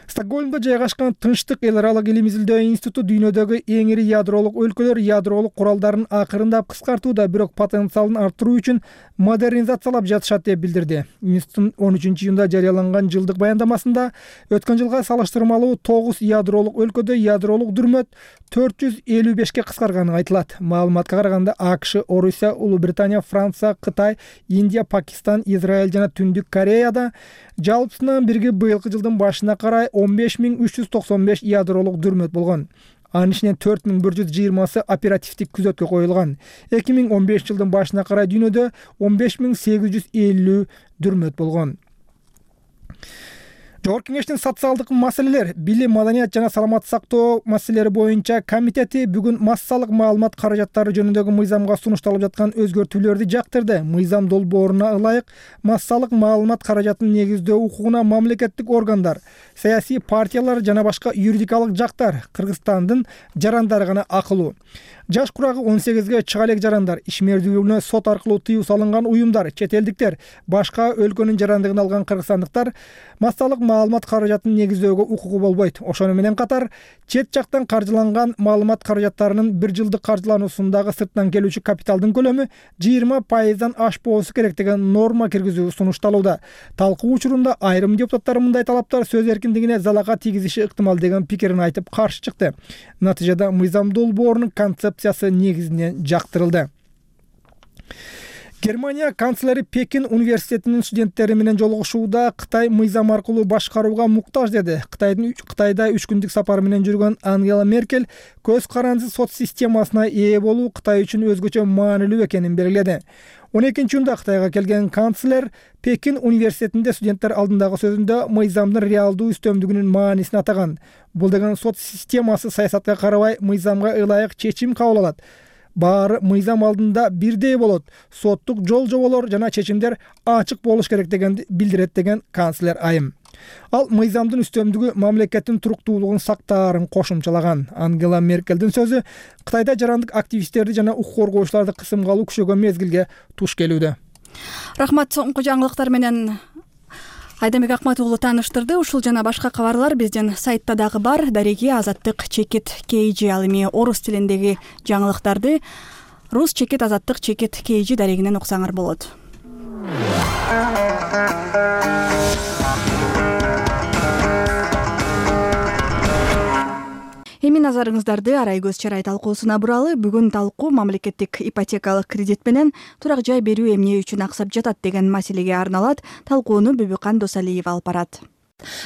Стокгольмдо жайгашкан Тынчтык эл аралык илим изилдөө институту дүйнөдөгү эң ири ядролук өлкөлөр ядролук куралдарын акырындап кыскартууда, бирок потенциалын арттыруу үчүн модернизациялап жатышат деп билдирди. Институттун 13-июнда жарыяланган жылдык баяндамасында өткөн жылга салыштырмалуу 9 ядролук өлкөдө ядролук дүрмөт 455-ке кыскарганы айтылат. Маалыматка караганда АКШ, Орусия, Улуу Британия, Франция, Кытай, Индия, Пакистан, Израиль жана Түндүк Кореяда жалпысынан бирге быйылкы жылдын башына карай 15395 ядролук дүрмөт болгон. Анын ичинен 4120 оперативдик күзөткө коюлган. 2015 жылдын башына карай дүйнөдө 15850 дүрмөт болгон. Жогорку Кеңештин социалдык маселелер, билим, маданият жана саламаттык сактоо маселелери боюнча комитети бүгүн массалык маалымат каражаттары жөнүндөгү мыйзамга сунушталып жаткан өзгөртүүлөрдү жактырды. Мыйзам долбооруна ылайык массалык маалымат каражатын негиздөө укугуна мамлекеттик органдар, саясий партиялар жана башка юридикалык жактар, Кыргызстандын жарандары гана акылуу. Жаш курагы 18ге чыга элек жарандар, ишмердүүлүгүнө сот аркылуу тыюу салынган уюмдар, чет элдиктер, башка өлкөнүн жарандыгын алган кыргызстандыктар массалык маалымат каражатын негиздөөгө укугу болбойт. Ошону менен катар чет жактан каржыланган маалымат каражаттарынын 1 жылдык каржылануусундагы сырттан келүүчү капиталдын көлөмү 20%дан ашпоосу керек деген норма киргизүү сунушталууда. Талкуу учурунда айрым депутаттар мындай талаптар сөз эркиндигине залага тийгизиши ыктымал деген пикирин айтып каршы чыкты. Натыйжада мыйзам долбоорунун концепциясы негизинен жактырылды. Германия канцлери Пекин университетинин студенттери менен жолугушууда Кытай мыйзам аркылуу башкарууга муктаж деди. Кытайда 3 күндүк сапар менен жүргөн Ангела Меркель көз карандысыз сот системасына ээ болуу Кытай үчүн өзгөчө маанилүү экенин белгиледи. 12-июнда Кытайга келген канцлер Пекин университетинде студенттер алдындагы сөзүндө мыйзамдын реалдуу үстөмдүгүнүн маанисин атаган. Бул деген сот системасы саясатка карабай мыйзамга ылайык чечим кабыл алат. Баары мыйзам алдында бирдей болот. Соттук жол жоболор жана чечимдер ачык болуш керек дегенди билдирет деген канцлер айым. Ал мыйзамдын үстөмдүгү мамлекеттин туруктуулугун сактаарын кошумчалаган. Ангела Меркелдин сөзү Кытайда жарандык активисттерди жана укук коргоочуларды кысымга алуу күчөгөн мезгилге туш келүүдө. Рахмат, соңку жаңылыктар менен Айдамбек Акмат уулу тааныштырды. Ушул жана башка кабарлар биздин сайтта дагы бар. Дареги Азаттык чекит KG, ал эми орус тилиндеги жаңылыктарды рус чекит Азаттык чекит KG дарегинен уксаңар болот. Эми назарыңыздарды Арай көз чарай талкуусуна буралы. Бүгүн талкуу мамлекеттик ипотекалык кредит менен турак жай берүү эмне үчүн аксап жатат деген маселеге арналат. Талкууну Бүбүкан Досалиева алып барат.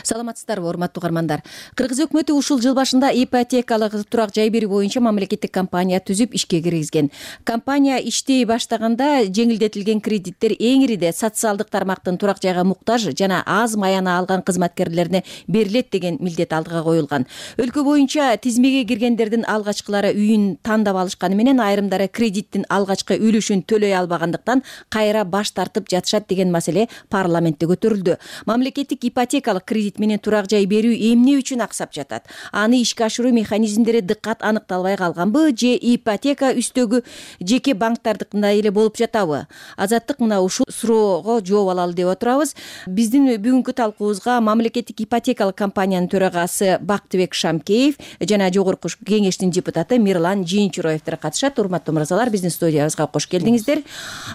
Саламатсыздарбы, урматтуу угармандар. Кыргыз өкмөтү ушул жыл башында ипотекалык турак жай берүү боюнча мамлекеттик компания түзүп ишке киргизген. Компания иштей баштаганда жеңилдетилген кредиттер эңириде социалдык тармактын турак жайга муктаж жана аз маяна алган кызматкерлерине берилет деген милдет алдыга коюлган. Өлкө боюнча тизмеге киргендердин алгачкылары үйүн тандап алышканы менен айрымдары кредиттин алгачкы үлүшүн төлөй албагандыктан кайра баш тартып жатышат деген маселе парламентте көтөрүлдү. Мамлекеттик ипотекалык кредит менен турак жай берүү эмне үчүн аксап жатат? Аны ишке ашыруу механизмдери дыккат аныкталбай калганбы же ипотека үстөгү жеке банктардыкындай эле болуп жатабы? Азаттык мына ушул суроого жооп алалы деп отурабыз. Биздин бүгүнкү талкуубузга мамлекеттик ипотекалык компаниянын төрагасы Бактыбек Шамкеев жана жогорку кеңештин депутаты Мирлан Жийинчуроевдер катышат. Урматтуу мырзалар, биздин студиябызга кош келдиңиздер.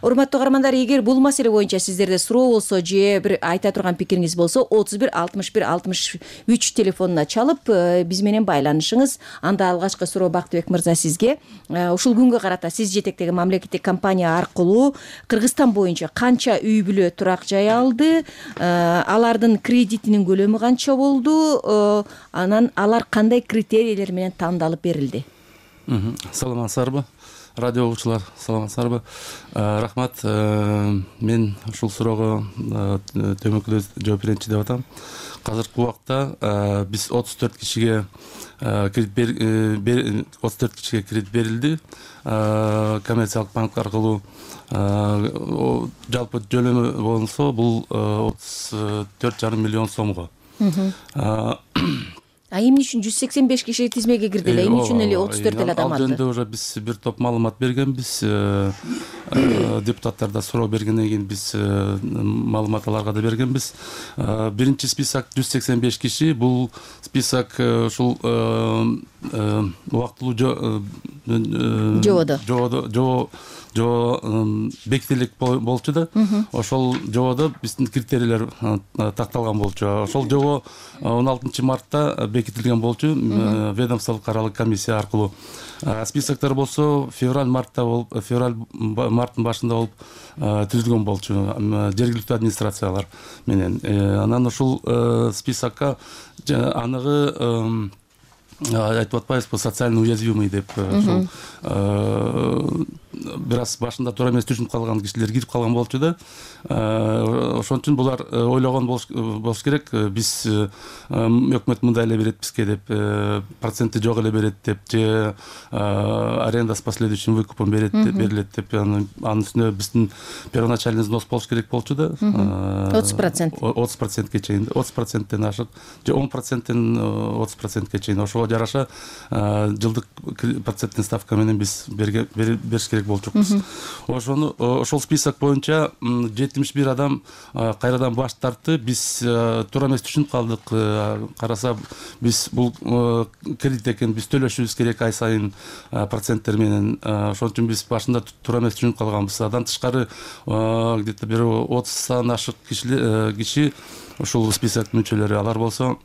Урматтуу угармандар, эгер бул маселе боюнча сиздерде суроо болсо же бир айта турган пикириңиз болсо 31-61-63 телефонуна чалып биз менен байланышыңыз. Анда алгачкы суроо Бактыбек мырза сизге. Ушул күнгө карата сиз жетектеген мамлекеттик компания аркылуу Кыргызстан боюнча канча үй бүлө турак жай алды? Алардын кредитинин көлөмү канча болду? Анан алар кандай критерийлер менен тандалып берилди? Саламатсыздарбы? Радио угуучулар, саламатсыздарбы? Рахмат. Мен ушул суроого төмөкүлө жооп берейинчи деп атам. Азыркы убакта биз 34 кишиге кредит берилди. Коммерциялык банк аркылуу жалпы төлөмү болсо бул 34,5 миллион сомго. Эмне үчүн 185 киши тизмеге кирди эле? Эмне үчүн эле 34 эле адам алды? Ал жөнүндө уже биз бир топ маалымат бергенбиз. Депутаттар да суроо бергенден кийин биз маалымат аларга да бергенбиз. Биринчи список 185 киши. Бул список ушул убактылуу жобо бекитилик болчу да. Ошол жободо биздин критерийлер такталган болчу. Ошол жобо 16 мартта бекитилген болчу ведомстволук аралык комиссия аркылуу. Списоктор болсо марттын башында болуп түзүлгөн болчу жергиликтүү администрациялар менен. Анан ушул списокко аныгы айтып атпайбызбы, социально уязвимый деп ушул бир аз башында туура эмес түшүнүп калган кишилер кирип калган болчу да. Ошон үчүн булар ойлогон болуш керек, биз өкмөт мындай эле берет бизге деп, проценти жок эле берет деп, же аренда с последующим выкупом берилет деп, анын үстүнө биздин первоначальный взнос болуш керек болчу да. 30%. 30%ке чейин, 30%тен ашык, же 10%тен 30%ке чейин. Ошого жараша жылдык проценттин ставка менен биз бериш керек болчукпуз. Ошол список боюнча 71 адам кайрадан баш тартты. Биз туура эмес түшүнүп калдык. Караса биз бул кредит экен, биз төлөшүбүз керек ай сайын проценттер менен. Ошон үчүн биз башында туура эмес түшүнүп калганбыз. Андан тышкары где-то бир 30 ашык киши ушул список мүчөлөрү. Алар болсо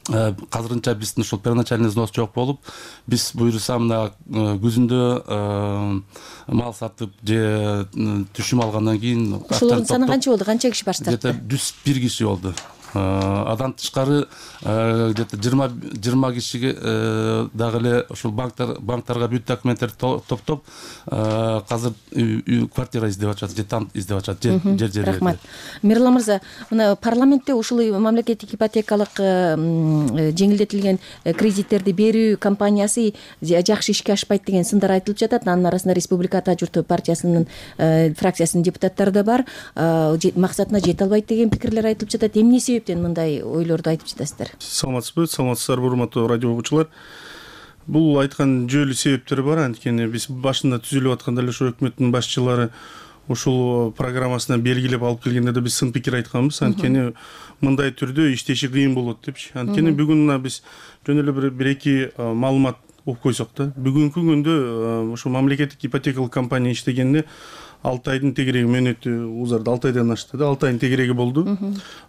азырынча биздин ушул первоначальный взнос жок болуп, биз буюрса мына күзүндө мал сатып же түшүм алгандан кийин ушулордун саны канча болду, канча киши баш тартты? Где-то 101 киши болду. Адан тышкары где-то 20 кишиге дагы эле ушул банктарга бүт документтерди топтоп азыр квартира издеп атышат, же там издеп атышат, жер. Рахмат. Мирлан мырза, мына парламентте ушул мамлекеттик ипотекалык жеңилдетилген кредиттерди берүү компаниясы жакшы ишке ашпайт деген сындар айтылып жатат. Анын арасында Республика Ата журту партиясынын фракциясынын депутаттары да бар. Максатына жете албайт деген пикирлер айтылып жатат. Эмне себептен мындай ойлорду айтып жатасыздар? Саламатсыздарбы, урматтуу радио угуучулар. Бул айткан жүйөлүү себептери бар. Анткени биз башында түзүлүп атканда эле ошо өкмөттүн башчылары ушул программасына белгилеп алып келгенде да биз сын пикир айтканбыз. Анткени мындай түрдө иштеши кыйын болот депчи. Анткени бүгүн биз жөн эле бир эки маалымат угуп койсок да. Бүгүнкү күндө ушул мамлекеттик ипотекалык компания иштегенде 6 айдын тегереги мөөнөтү узарды, 6 айдан ашты да, 6 айдын тегереги болду.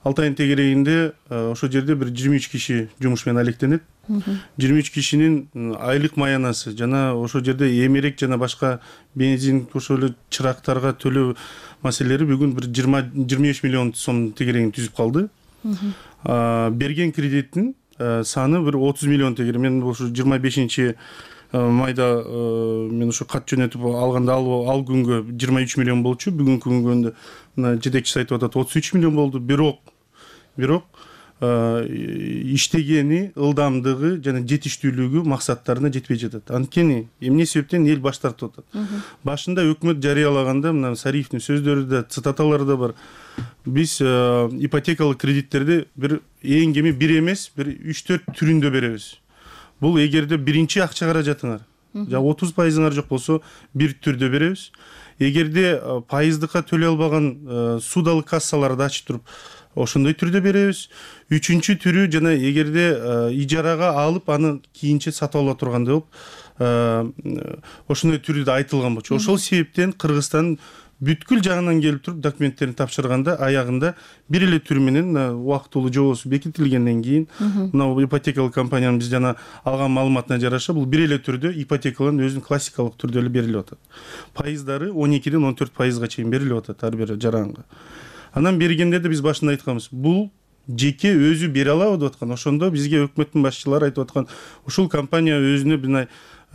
6 айдын тегерегинде ошол жерде бир 23 киши жумуш менен алектенет. 23 кишинин айлык маянасы жана ошол жерде эмерек жана башка бензин, ошол эле чырактарга төлөө маселелери бүгүн бир 25 миллион сом тегерегин түзүп калды. Берген кредиттин саны бир 30 миллион тегереги. Мен ошо 25 майда мен ушу кат жөнөтүп алганда ал күнгө 23 миллион болчу. Бүгүнкү күнгө мына жетекчиси айтып атат 33 миллион болду. Бирок иштегени, ылдамдыгы жана жетиштүүлүгү максаттарына жетпей жатат. Анткени эмне себептен эл баш тартып атат. Башында өкмөт жарыялаганда мына Сариевдин сөздөрү да, цитаталары да бар. Биз ипотекалык кредиттерди бир эң кеми бир эмес, бир 3-4 түрүндө беребиз. Бул эгерде биринчи акча каражатыңар, жа 30%ыңар жок болсо, бир түрдө беребиз. Эгерде пайыздыкка төлөй албаган судалык кассаларды ачып туруп, ошондой түрдө беребиз. Үчүнчү түрү жана эгерде ижарага алып, аны кийинче сатып ала тургандай болуп, ошондой түрдө айтылган болчу. Ошол себептен Кыргызстан бүткүл жагынан келип туруп документтерин тапшырганда аягында бир эле түр менен убактылуу жобосу бекитилгенден кийин мына ипотекалык компаниянын биз жана алган маалыматына жараша бул бир эле түрдө ипотекалын өзүнүн классикалык түрдө эле берилип атат. Пайыздары 12-ден 14%га чейин берилип атат ар бир жаранга. Анан бергенде да биз башында айтканбыз, бул жеке өзү бере алабы деп аткан. Ошондо бизге өкмөттүн башчылары айтып аткан, ушул компания өзүнө мына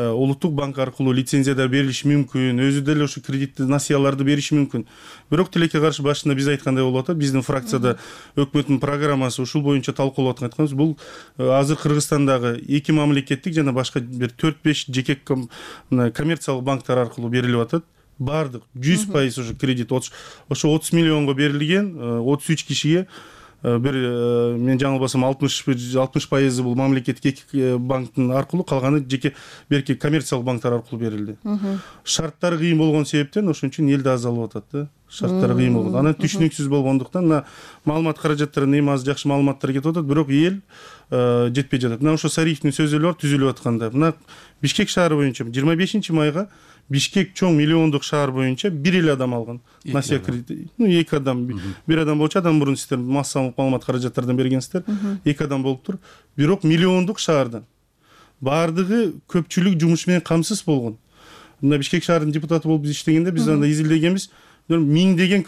улуттук банк аркылуу лицензияда берилиши мүмкүн, өзү деле ошо кредиттик насыяларды бериши мүмкүн. Бирок тилекке каршы башында биз айткандай болуп атат, биздин фракцияда өкмөттүн программасы ушул боюнча талкуулап атканбыз. Бул азыр Кыргызстандагы эки мамлекеттик жана башка бир 4-5 жеке коммерциялык банктар аркылуу берилип атат. Бардык 100% ошо кредит ошо 30 миллионго берилген, 33 кишиге бир мен жаңылбасам 60% бул мамлекеттик эки банктын аркылуу, калганы жеке берки коммерциялык банктар аркылуу берилди. Шарттары кыйын болгон себептен ошон үчүн эл да азалып атат да. Шарттары кыйын болгон. Анан түшүнүксүз болгондуктан мына маалымат каражаттарына эми аз жакшы маалыматтар кетип атат, бирок эл жетпей жатат. Мына ошо Сариевдин сөздөрү бар түзүлүп атканда. Мына Бишкек шаары боюнча 25 майга Бишкек чоң миллиондук шаар боюнча бир эле адам алган. Насия кредит. Эки адам. Бир адам болчу, адам мурун сиздер массалык маалымат каражаттардан бергенсиздер. Эки адам болуптур. Бирок миллиондук шаардан баардыгы көпчүлүк жумуш менен камсыз болгон. Мына Бишкек шаарынын депутаты болуп биз иштегенде биз анда изилдегенбиз. Миңдеген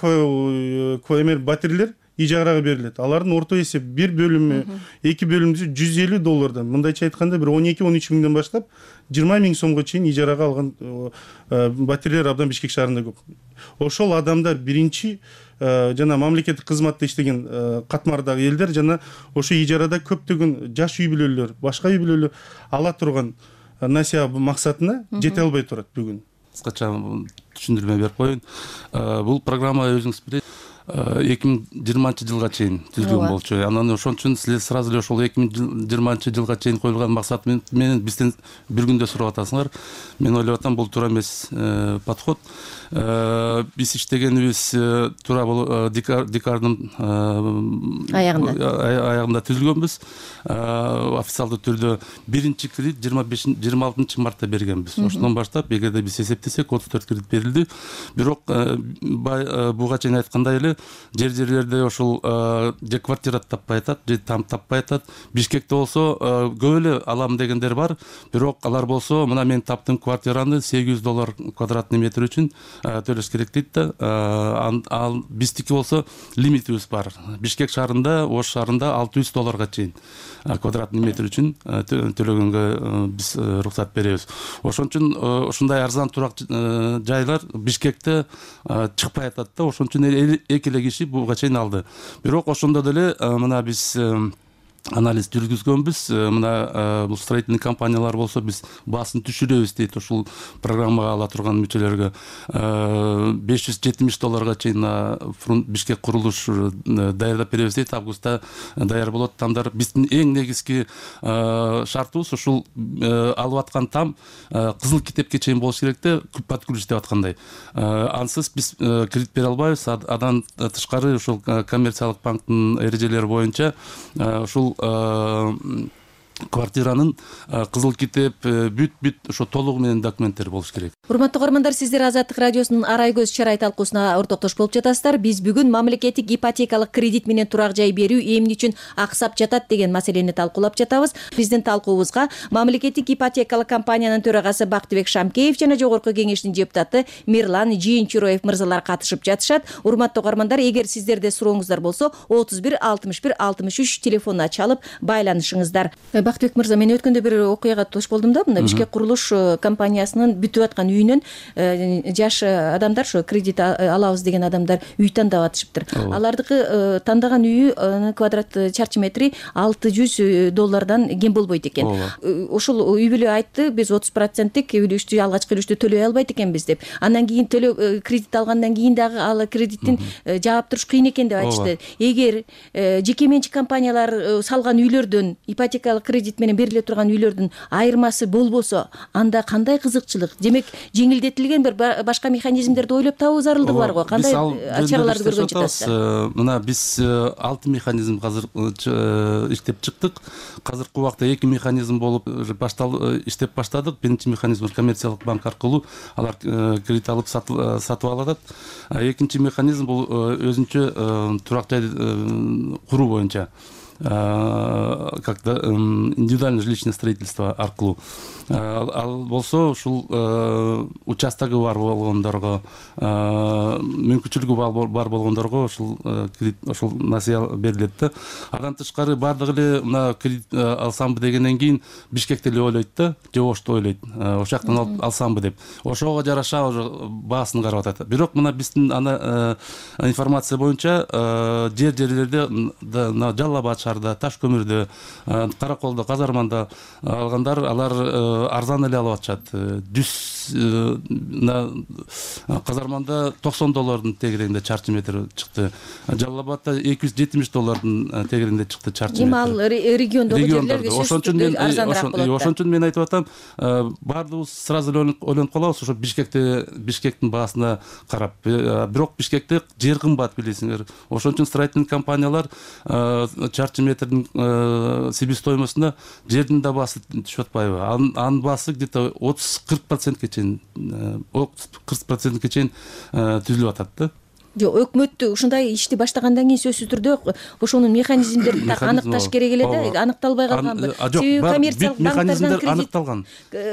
батирлер ижарага берилет. Алардын орто эсеп бир бөлүмү, эки бөлүмү $150. Мындайча айтканда бир 12-13 миңден баштап 20 миң сомго чейин ижарага алган батирлер абдан Бишкек шаарында көп. Ошол адамдар биринчи жана мамлекеттик кызматта иштеген катмардагы элдер жана ошо ижарада көптөгөн жаш үй бүлөлөр, башка үй бүлөлөр ала турган насия максатына жете албай турат бүгүн. Кыскача түшүндүрмө берип коеюн. Бул программа өзүңүз билет 2020 жылга чейин түзүлгөн болчу. Анан ошон үчүн силер сразу эле ошол 2020 жылга чейин коюлган максат менен бизден бир күндө сурап атасыңар. Мен ойлоп атам, бул туура эмес подход. Биз иштегенибиз туура декабрдын аягында түзүлгөнбүз. Официалдуу түрдө биринчи кредит 26 мартта бергенбиз. Ошондон баштап эгерде биз эсептесек 34 кредит берилди. Бирок буга чейин айткандай эле жерлерде ошол же квартира таппай атат, же там таппай атат. Бишкекте болсо көп эле алам дегендер бар. Бирок алар болсо мына мен таптым квартираны $800 квадратный метр үчүн төлөш керек дейт да. Ал биздики болсо лимитибиз бар. Бишкек шаарында, Ош шаарында $600 чейин квадратный метр үчүн төлөгөнгө биз уруксат беребиз. Ошон үчүн ушундай арзан турак жайлар Бишкекте чыкпай атат да. Ошон үчүн эки эле киши буга чейин алды. Бирок ошондо деле мына биз анализ жүргүзгөнбүз. Мына бул строительный компаниялар болсо биз баасын түшүрөбүз дейт ушул программага ала турган мүчөлөргө. $570 чейин Бишкек курулуш даярдап беребиз дейт. Августта даяр болот тамдар. Биздин эң негизги шартыбыз ушул алып аткан там кызыл китепке чейин болуш керек да, под ключ деп аткандай. Ансыз биз кредит бере албайбыз. Адан тышкары ушул коммерциялык банктын эрежелери боюнча ушул квартиранын кызыл китеп бүт ошо толугу менен документтери болуш керек. Урматтуу көрөрмандар, сиздер Азаттык радиосунун Арай көз чарай талкуусуна ортоктош болуп жатасыздар. Биз бүгүн мамлекеттик ипотекалык кредит менен турак жай берүү эмне үчүн аксап жатат деген маселени талкуулап жатабыз. Биздин талкуубузга мамлекеттик ипотекалык компаниянын төрагасы Бактыбек Шамкеев жана жогорку кеңештин депутаты Мирлан Жийинчуроев мырзалар катышып жатышат. Урматтуу көрөрмандар, эгер сиздерде сурооңуздар болсо 31 61 63 телефонуна чалып байланышыңыздар. Бактыбек мырза, мен өткөндө бир окуяга туш болдум да. Мына Бишкек курулуш компаниясынын бүтүп аткан үйүнөн жаш адамдар, ошо кредит алабыз деген адамдар үй тандап атышыптыр. Алардыкы тандаган үйү квадрат чарчы метри $600 кем болбойт экен. Ошол үй бүлө айтты, биз 30%тик үлүштү, алгачкы үлүштү төлөй албайт экенбиз деп. Андан кийин кредит алгандан кийин дагы ал кредиттин жаап туруш кыйын экен деп айтышты. Эгер жеке менчик компаниялар салган үйлөрдөн, ипотекалык кредит менен бериле турган үйлөрдүн айырмасы болбосо, анда кандай кызыкчылык? Демек, жеңилдетилген бир башка механизмдерди ойлоп табуу зарылдыгы бар го. Кандай чараларды көргөн жатасыздар? Мына биз 6 механизм азыр иштеп чыктык. Казыркы убакта 2 механизм болуп иштеп баштадык. Биринчи механизм коммерциялык банк аркылуу алар кредит алып сатып алат. Экинчи механизм бул өзүнчө турак жай куруу боюнча, как индивидуальное жилищное строительство аркылуу. Ал болсо ушул участогу бар болгондорго, мүмкүнчүлүгү бар болгондорго ушул кредит, ошол насыя берилет да. Андан тышкары бардыгы эле мына кредит алсамбы дегенден кийин Бишкекте эле ойлойт да, же Ошто ойлойт. Ошол жактан алсамбы деп. Ошого жараша баасын карап атат. Бирок мына биздин информация боюнча жерлерде Жалал Абад шаарда, Таш көмүрдө, Караколдо, Казарманда алгандар алар арзан эле алып атышат. Казарманда $90 тегерегинде чарчы метр чыкты. Жалал Абадда $270 тегерегинде чыкты чарчы метр. Эми ал региондогу жерлерге ошон үчүн мен айтып атам, баардыгыбыз сразу эле ойлонуп калабыз ошо Бишкектин баасына карап. Бирок Бишкекте жер кымбат, билесиңер. Ошон үчүн строительный компаниялар чарчы метрдин себестоимостуна жердин да баасы түшүп атпайбы? Анын баасы где-то 30-40%ке чейин 40%ке чейин түзүлүп атат да. Жок, өкмөт ушундай ишти баштагандан кийин сөзсүз түрдө ошонун механизмдерин так аныкташ керек эле да, аныкталбай калганбы? Себеби коммерциялык банктардан аныкталган.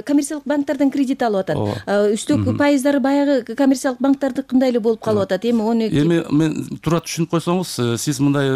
Коммерциялык банктардан кредит алып атат. Үстөк пайыздары баягы коммерциялык банктардыкындай эле болуп калып атат. Эми мен туура түшүнүп койсоңуз, сиз мындай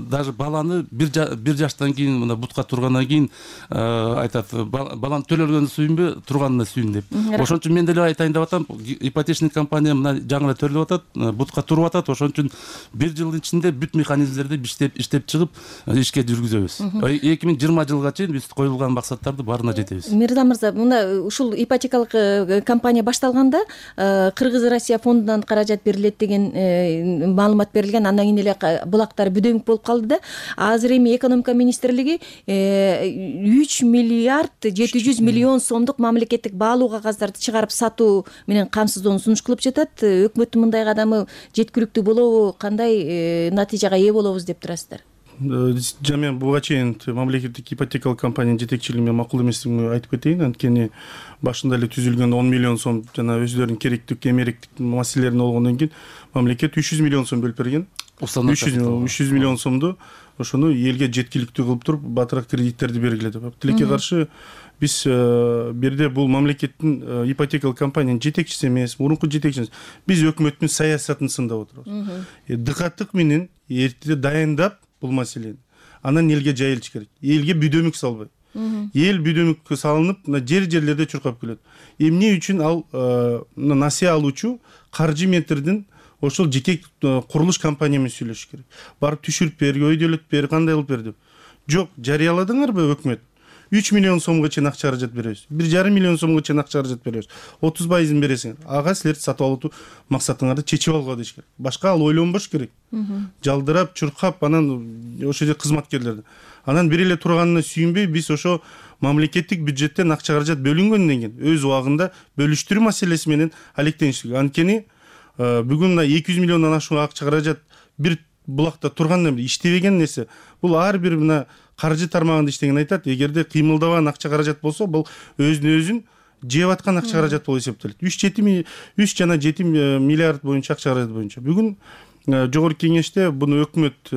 даже баланы бир жаштан кийин мына бутка тургандан кийин айтат, баланы төлөлгөнү сүйүнбө, турганына сүйүн деп. Ошон үчүн мен деле айтайын деп атам, ипотечный компания мына жаңы эле төлөп атат, бутка туруп атат. Ошон үчүн бир жылдын ичинде бүт механизмдерди иштеп чыгып ишке жүргүзөбүз. 2020 жылга чейин биз коюлган максаттарды баарына жетебиз. Мирза мырза, мына ушул ипотекалык компания башталганда Кыргыз-Россия фондунан каражат берилет деген маалымат берилген. Андан кийин эле булактар бүдөмүк болуп калды да. Азыр эми экономика министрлиги 3 миллиард 700 миллион сомдук мамлекеттик баалуу кагаздарды чыгарып сатуу менен камсыздоону сунуш кылып жатат. Өкмөттүн мындай кадамы жеткиликтүү болобу, кандай натыйжага ээ болобуз деп турасыздар? Мен буга чейин мамлекеттик ипотекалык компаниянын жетекчилигине макул эместигимди айтып кетейин. Анткени башында эле түзүлгөн 10 миллион сом жана өздөрүнүн керектик, эмеректик маселелерин болгондон кийин мамлекет 300 миллион сом бөлүп берген. 300 миллион сомду ошону элге жеткиликтүү кылып туруп батыраак кредиттерди бергиле деп. Тилекке каршы биз бирде бул мамлекеттин ипотекалык компаниянын жетекчиси эмес, мурунку жетекчиси. Биз өкмөттүн саясатын сындап отурабыз. Дыкаттык менен эрте дайындап бул маселени анан элге жайылыш керек. Элге бүдөмүк салбай. Эл бүдөмүккө салынып, жерлерде чуркап келет. Эмне үчүн ал насыя алуучу каржы метрдин ошол жеке курулуш компания менен сүйлөшүш керек. Барып түшүрүп бер, өйдөлөп бер, кандай кылып бер деп. Жок, жарыяладыңарбы өкмөт? 3 миллион сомго чейин акча каражат беребиз. 1,5 миллион сомго чейин акча каражат беребиз. 30% бересиңер. Ага силер сатып алуу максатыңарды чечип алгыла деш керек. Башка ал ойлонбош керек. Жалдырап, чуркап, анан ошо жерде кызматкерлерди. Анан бир эле турганына сүйүнбөй, биз ошо мамлекеттик бюджеттен акча каражат бөлүнгөндөн кийин өз убагында бөлүштүрүү маселеси менен алектениш керек. Анткени бүгүн мына 200 миллиондон ашуун акча каражат бир булакта тургандан бери иштебеген нерсе. Бул ар бир мына каржы тармагында иштеген айтат, эгерде кыймылдабаган акча каражат болсо, бул өзүн жеп аткан акча каражат болуп эсептелет. 3 жана 7 миллиард боюнча акча каражат боюнча. Бүгүн жогорку кеңеште буну өкмөт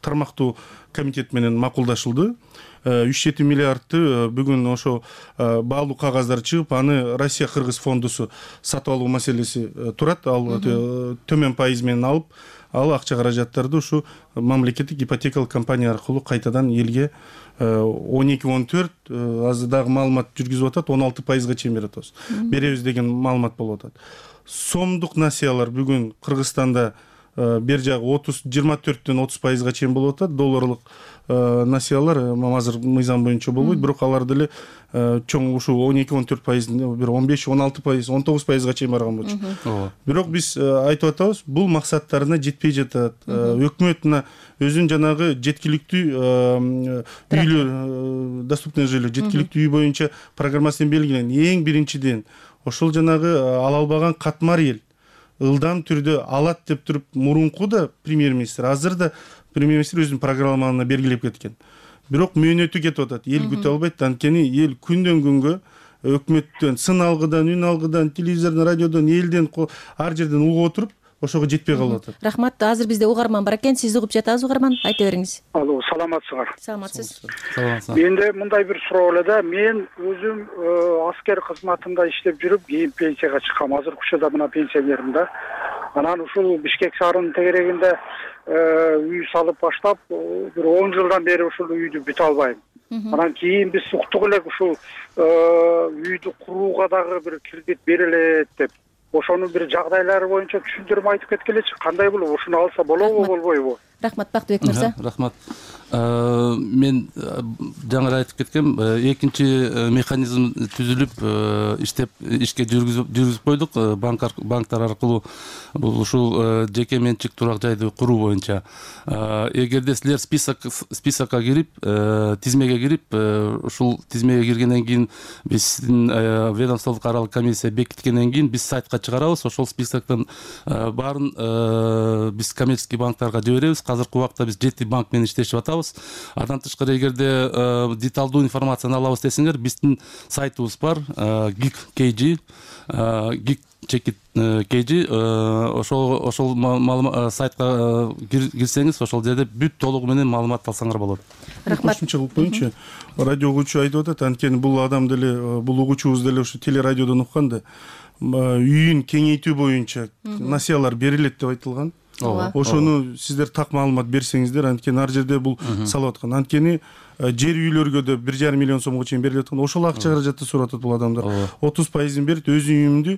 тармактуу комитет менен макулдашылды. 3-7 миллиардты бүгүн ошо баалуу кагаздар чыгып, аны Россия Кыргыз фондусу сатып алуу маселеси турат. Ал төмөн пайыз менен алып, ал акча каражаттарды ушу мамлекеттик ипотекалык компания аркылуу кайтадан элге 12-14 азыр дагы маалымат жүргүзүп атат, 16%га чейин берип атабыз. Беребиз деген маалымат болуп атат. Сомдук насыялар бүгүн Кыргызстанда бер жагы 24-төн 30%га чейин болуп атат. Долларлык насыялар азыр мыйзам боюнча болбойт, бирок алар деле чоң ушу 12-14%, бир 15-16%, 19%га чейин барган болчу. Бирок биз айтып атабыз, бул максаттарына жетпей жатат. Өкмөт өзүнүн жанагы жеткиликтүү үйлөр, доступный жилье, жеткиликтүү үй боюнча программасын белгилеген. Эң биринчиден ошол жанагы ала албаган катмар эл ылдам түрдө алат деп туруп мурунку да премьер-министр, азыр да премьер-министр өзүнүн программаларына бергилеп кеткен. Бирок мөөнөтү кетип атат. Эл күтө албайт. Анткени эл күндөн күнгө өкмөттөн, сын алгыдан, үн алгыдан, телевизордон, радиодон, элден, ар жерден угуп отуруп, ошого жетпей калып атат. Рахмат. Азыр бизде угарман бар экен. Сизди угуп жатабыз, угарман. Айта бериңиз. Алло, саламатсыздар. Саламатсыз. Менде мындай бир суроо эле да. Мен өзүм аскер кызматында иштеп жүрүп, кийин пенсияга чыккам. Азыр учурда мына пенсионермин да. Анан ушул Бишкек шаарынын тегерегинде үй салып баштап, бир 10 жылдан бери ушул үйдү бүтө албайм. Анан кийин биз уктук элек ушул үйдү курууга дагы бир кредит берилет деп. Ошонун бир жагдайлары боюнча түшүндүрмө айтып кеткилечи. Кандай болобу? Ушуну алса болобу, болбойбу? Рахмат, Бактыбек мырза. Рахмат. Мен жаңы айтып кеткем, экинчи механизм түзүлүп, иштеп, ишке жүргүзүп койдук. Банктар аркылуу бул ушул жеке менчик турак жайды куруу боюнча. Эгерде силер списокко кирип, тизмеге кирип, ушул тизмеге киргенден кийин биздин ведомстволук аралык комиссия бекиткенден кийин биз сайтка чыгарабыз. Ошол списоктон баарын биз коммерческий банктарга жиберебиз. Азыркы убакта биз 7 банк менен иштешип атабыз. Андан тышкары эгерде деталдуу информацияны алабыз десеңер, биздин сайтыбыз бар, GIG чекит KG ошол сайтка кирсеңиз ошол жерде бүт толугу менен маалымат алсаңар болот. Рахмат. Кошумча кылып коеюнчу. Радио угуучу айтып атат, анткени бул адам деле, бул угуучубуз деле ушу телерадиодон уккан да, үйүн кеңейтүү боюнча насыялар берилет деп айтылган. Ошону сиздер так маалымат берсеңиздер, анткени ар жерде бул салып аткан. Анткени жер үйлөргө да 1,5 миллион сомго чейин берилип аткан. Ошол акча каражатты сурап атат бул адамдар. 30% берип, өз үйүмдү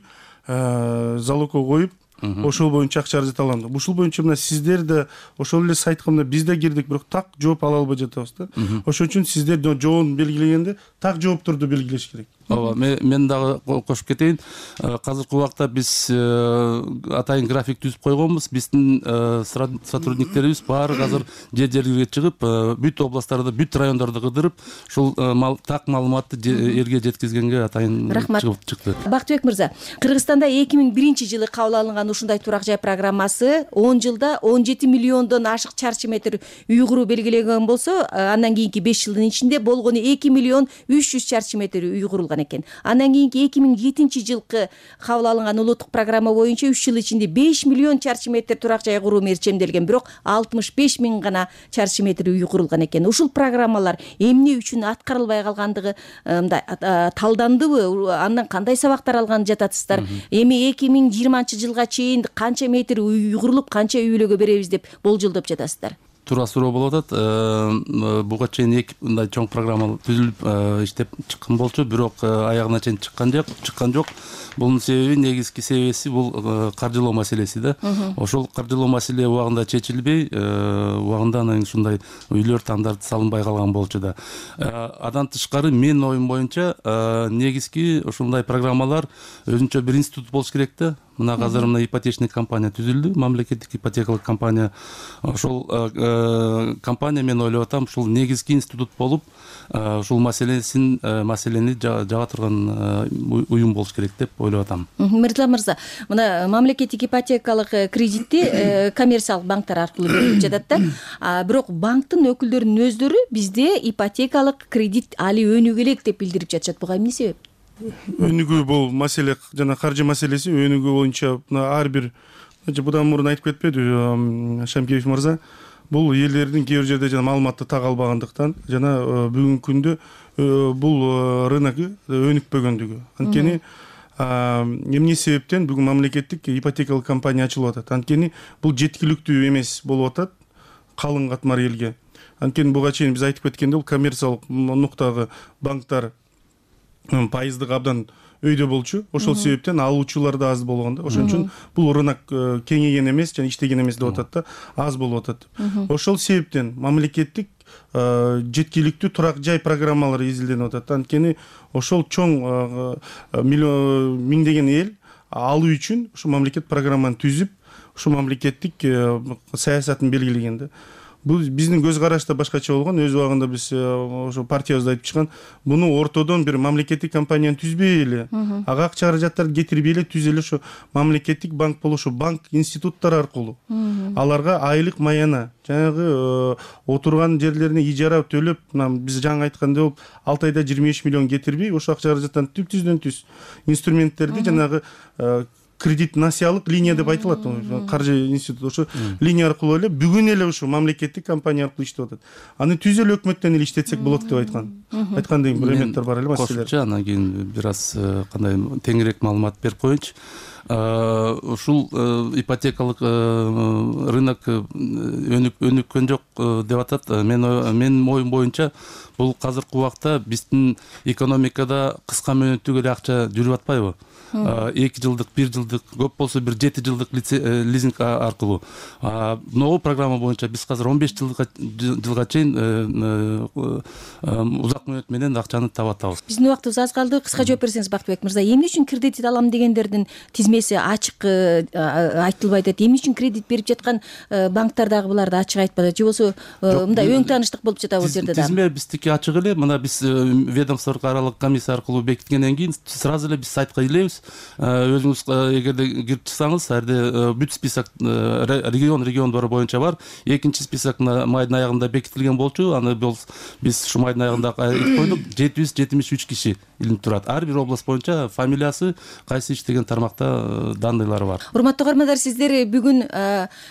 залогко коюп, ошол боюнча акча каражат алам. Ушул боюнча мына сиздер да ошол эле сайтка мына биз да кирдик, бирок так жооп ала албай жатабыз да. Ошон үчүн сиздер жообун белгилегенде так жоопторду белгилеш керек. Ооба, мен дагы кошуп кетейин. Азыркы убакта биз атайын график түзүп койгонбуз. Биздин сотрудниктерибиз баары азыр жер-жерге чыгып, бүт областтарда, бүт райондорду кыдырып, ушул так маалыматты элге жеткизгенге атайын чыкты. Бактыбек мырза, Кыргызстанда 2001-жылы кабыл алынган ушундай турак жай программасы 10 жылда 17 миллиондон ашык чарчы метр үй куруу белгилеген болсо, андан кийинки 5 жылдын ичинде болгону 2 миллион 300 чарчы метр үй курулган экен. Андан кийинки 2007-жылкы кабыл алынган улуттук программа боюнча 3 жыл ичинде 5 миллион чарчы метр турак жай куруу мерчемделген, бирок 65 миң гана чарчы метр үй курулган экен. Ушул программалар эмне үчүн аткарылбай калгандыгы талдандыбы? Андан кандай сабактар алган жатасыздар? Эми 2020-жылга чейин канча метр үй курулуп, канча үйлөгө беребиз деп болжолдоп жатасыздар? Туура суроо болуп атат. Буга чейин 2 мындай чоң программа түзүлүп иштеп чыккан болчу, бирок аягына чейин чыккан жок. Бунун себеби, негизги себеби бул каржылоо маселеси да. Ошол каржылоо маселе убагында чечилбей, убагында анан ушундай үйлөр тандарды салынбай калган болчу да. Андан тышкары менин оюм боюнча негизги ушундай программалар өзүнчө бир институт болуш керек да. Мына азыр мына ипотечный компания түзүлдү, мамлекеттик ипотекалык компания. Ошол компания, мен ойлоп атам, ушул негизги институт болуп, ушул маселени жаба турган уюм болуш керек деп ойлоп атам. Мырза мырза, мына мамлекеттик ипотекалык кредитти коммерциялык банктар аркылуу берилип жатат да. Бирок банктын өкүлдөрүнүн өздөрү бизде ипотекалык кредит али өнүгө элек деп билдирип жатышат. Буга эмне себеп? Өнүгүү бул маселе, жана каржы маселеси өнүгүү боюнча ар бир, будан мурун айтып кетпеди Шамкеев мырза, бул элдердин кээ бир жерде жана маалыматты так албагандыктан жана бүгүнкү күндө бул рынок өнүкпөгөндүгү. Анткени эмне себептен бүгүн мамлекеттик ипотекалык компания ачылып атат? Анткени бул жеткиликтүү эмес болуп атат калың катмар элге. Анткени буга чейин биз айтып кеткендей, бул коммерциялык нуктагы банктар пайыздык абдан өйдө болчу. Ошол себептен алуучулар да аз болгон да. Ошон үчүн бул рынок кеңейген эмес жана иштеген эмес деп атат да, аз болуп атат. Ошол себептен мамлекеттик жеткиликтүү турак жай программалары изилденип атат. Анткени ошол чоң миңдеген эл алуу үчүн ушу мамлекет программаны түзүп, ушу мамлекеттик саясатын белгилеген да. Бул биздин көз карашта башкача болгон. Өз убагында биз ошо партиябызда айтып чыккан, буну ортодон бир мамлекеттик компанияны түзбөй эле, ага акча каражаттарды кетирбей эле түз эле ошо мамлекеттик банк болушу, банк институттар аркылуу аларга айлык маяна, жанагы отурган жерлерине ижара төлөп, биз жаңы айткандай болуп 6 айда 25 миллион кетирбей, ошо акча каражаттан түздөн түз инструменттерди жанагы кредит насыялык линия деп айтылат, каржы институту ошо линия аркылуу эле бүгүн эле ушу мамлекеттик компания аркылуу иштеп атат. Аны түз эле өкмөттөн эле иштетсек болот деп айткан. Айткандай бир элементтер бар эле, маселелер. Кошумча анан кийин бир аз кандай теңирээк маалымат берип коеюнчу. Ушул ипотекалык рынок өнүккөн жок деп атат. Менин оюм боюнча бул азыркы убакта биздин экономикада кыска мөөнөттүк эле акча жүрүп атпайбы? 2 жылдык, 1 жылдык, көп болсо бир 7 жылдык лизинг аркылуу. Новый программа боюнча биз азыр 15 жылга чейин узак мөөнөт менен акчаны таба атабыз. Биздин убактыбыз аз калды. Кыска жооп берсеңиз Бактыбек мырза, эмне үчүн кредит алам дегендердин тизмеси ачык айтылбай атат? Эмне үчүн кредит берип жаткан банктар дагы буларды ачык айтпады? Же болсо мындай өң тааныштык болуп жатабы бул жерде да? Тизме биздики ачык эле. Мына биз ведомство аралык комиссия аркылуу бекиткенден кийин сразу эле биз сайтка илебиз. Өзүңүз эгерде кирип чыксаңыз, жерде бүт список региондор боюнча бар. Экинчи список майдын аягында бекитилген болчу. Аны биз ушу майдын аягында айтып койдук. 773 киши илинип турат. Ар бир область боюнча фамилиясы, кайсы иштеген тармакта данныйлары бар. Урматтуу каармандар, сиздер бүгүн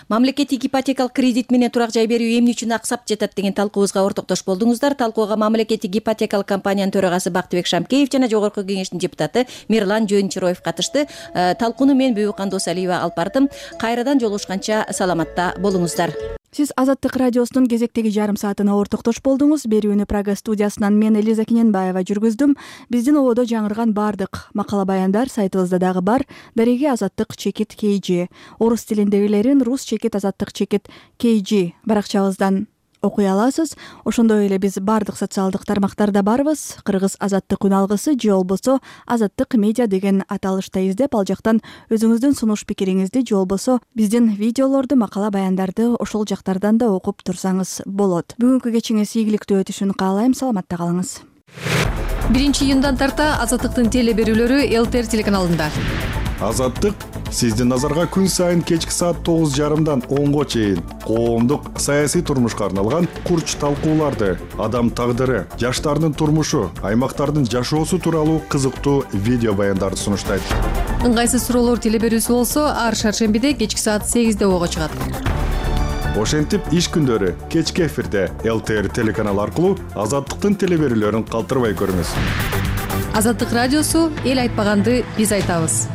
мамлекеттик ипотекалык кредит менен турак жай берүү эмне үчүн аксап жатат деген талкуубузга ортоктош болдуңуздар. Талкууга мамлекеттик ипотекалык компаниянын төрагасы Бактыбек Шамкеев жана жогорку кеңештин депутаты Мирлан Жөнчироев катышты. Талкууну мен Бүбүкан Досалиева алып бардым. Кайрадан жолугушканча саламатта болуңуздар. Сиз Азаттык радиосунун кезектеги жарым саатына ортоктош болдуңуз. Берүүнү Прага студиясынан мен Элиза Кененбаева жүргүздүм. Биздин ободо жаңырган бардык макала баяндар сайтыбызда дагы бар. Дареги Азаттык чекит KG. Орус тилиндегилерин рус чекит Азаттык чекит KG баракчабыздан окуй аласыз. Ошондой эле биз бардык социалдык тармактарда барбыз. Кыргыз Азаттык үн алгысы же болбосо Азаттык медиа деген аталышта издеп, ал жактан өзүңүздүн сунуш пикириңизди же болбосо биздин видеолорду, макала баяндарды ошол жактардан да окуп турсаңыз болот. Бүгүнкү кечиңиз ийгиликтүү өтүшүн каалайм. Саламатта калыңыз. 1-июндан тарта Азаттыктын теле берүүлөрү ЛТР телеканалында. Азаттык сиздин назарга күн сайын кечки саат 9:30 10го чейин коомдук саясий турмушка арналган курч талкууларды, адам тагдыры, жаштардын турмушу, аймактардын жашоосу тууралуу кызыктуу видео баяндарды сунуштайт. Ыңгайсыз суроолор теле берүүсү болсо, ар шаршембиде кечки саат 8-де ого чыгат. Ошентип иш күндөрү кечки эфирде ЛТР телеканалы аркылуу Азаттыктын теле берүүлөрүн калтырбай көрүңүз. Азаттык радиосу эл айтпаганды биз айтабыз.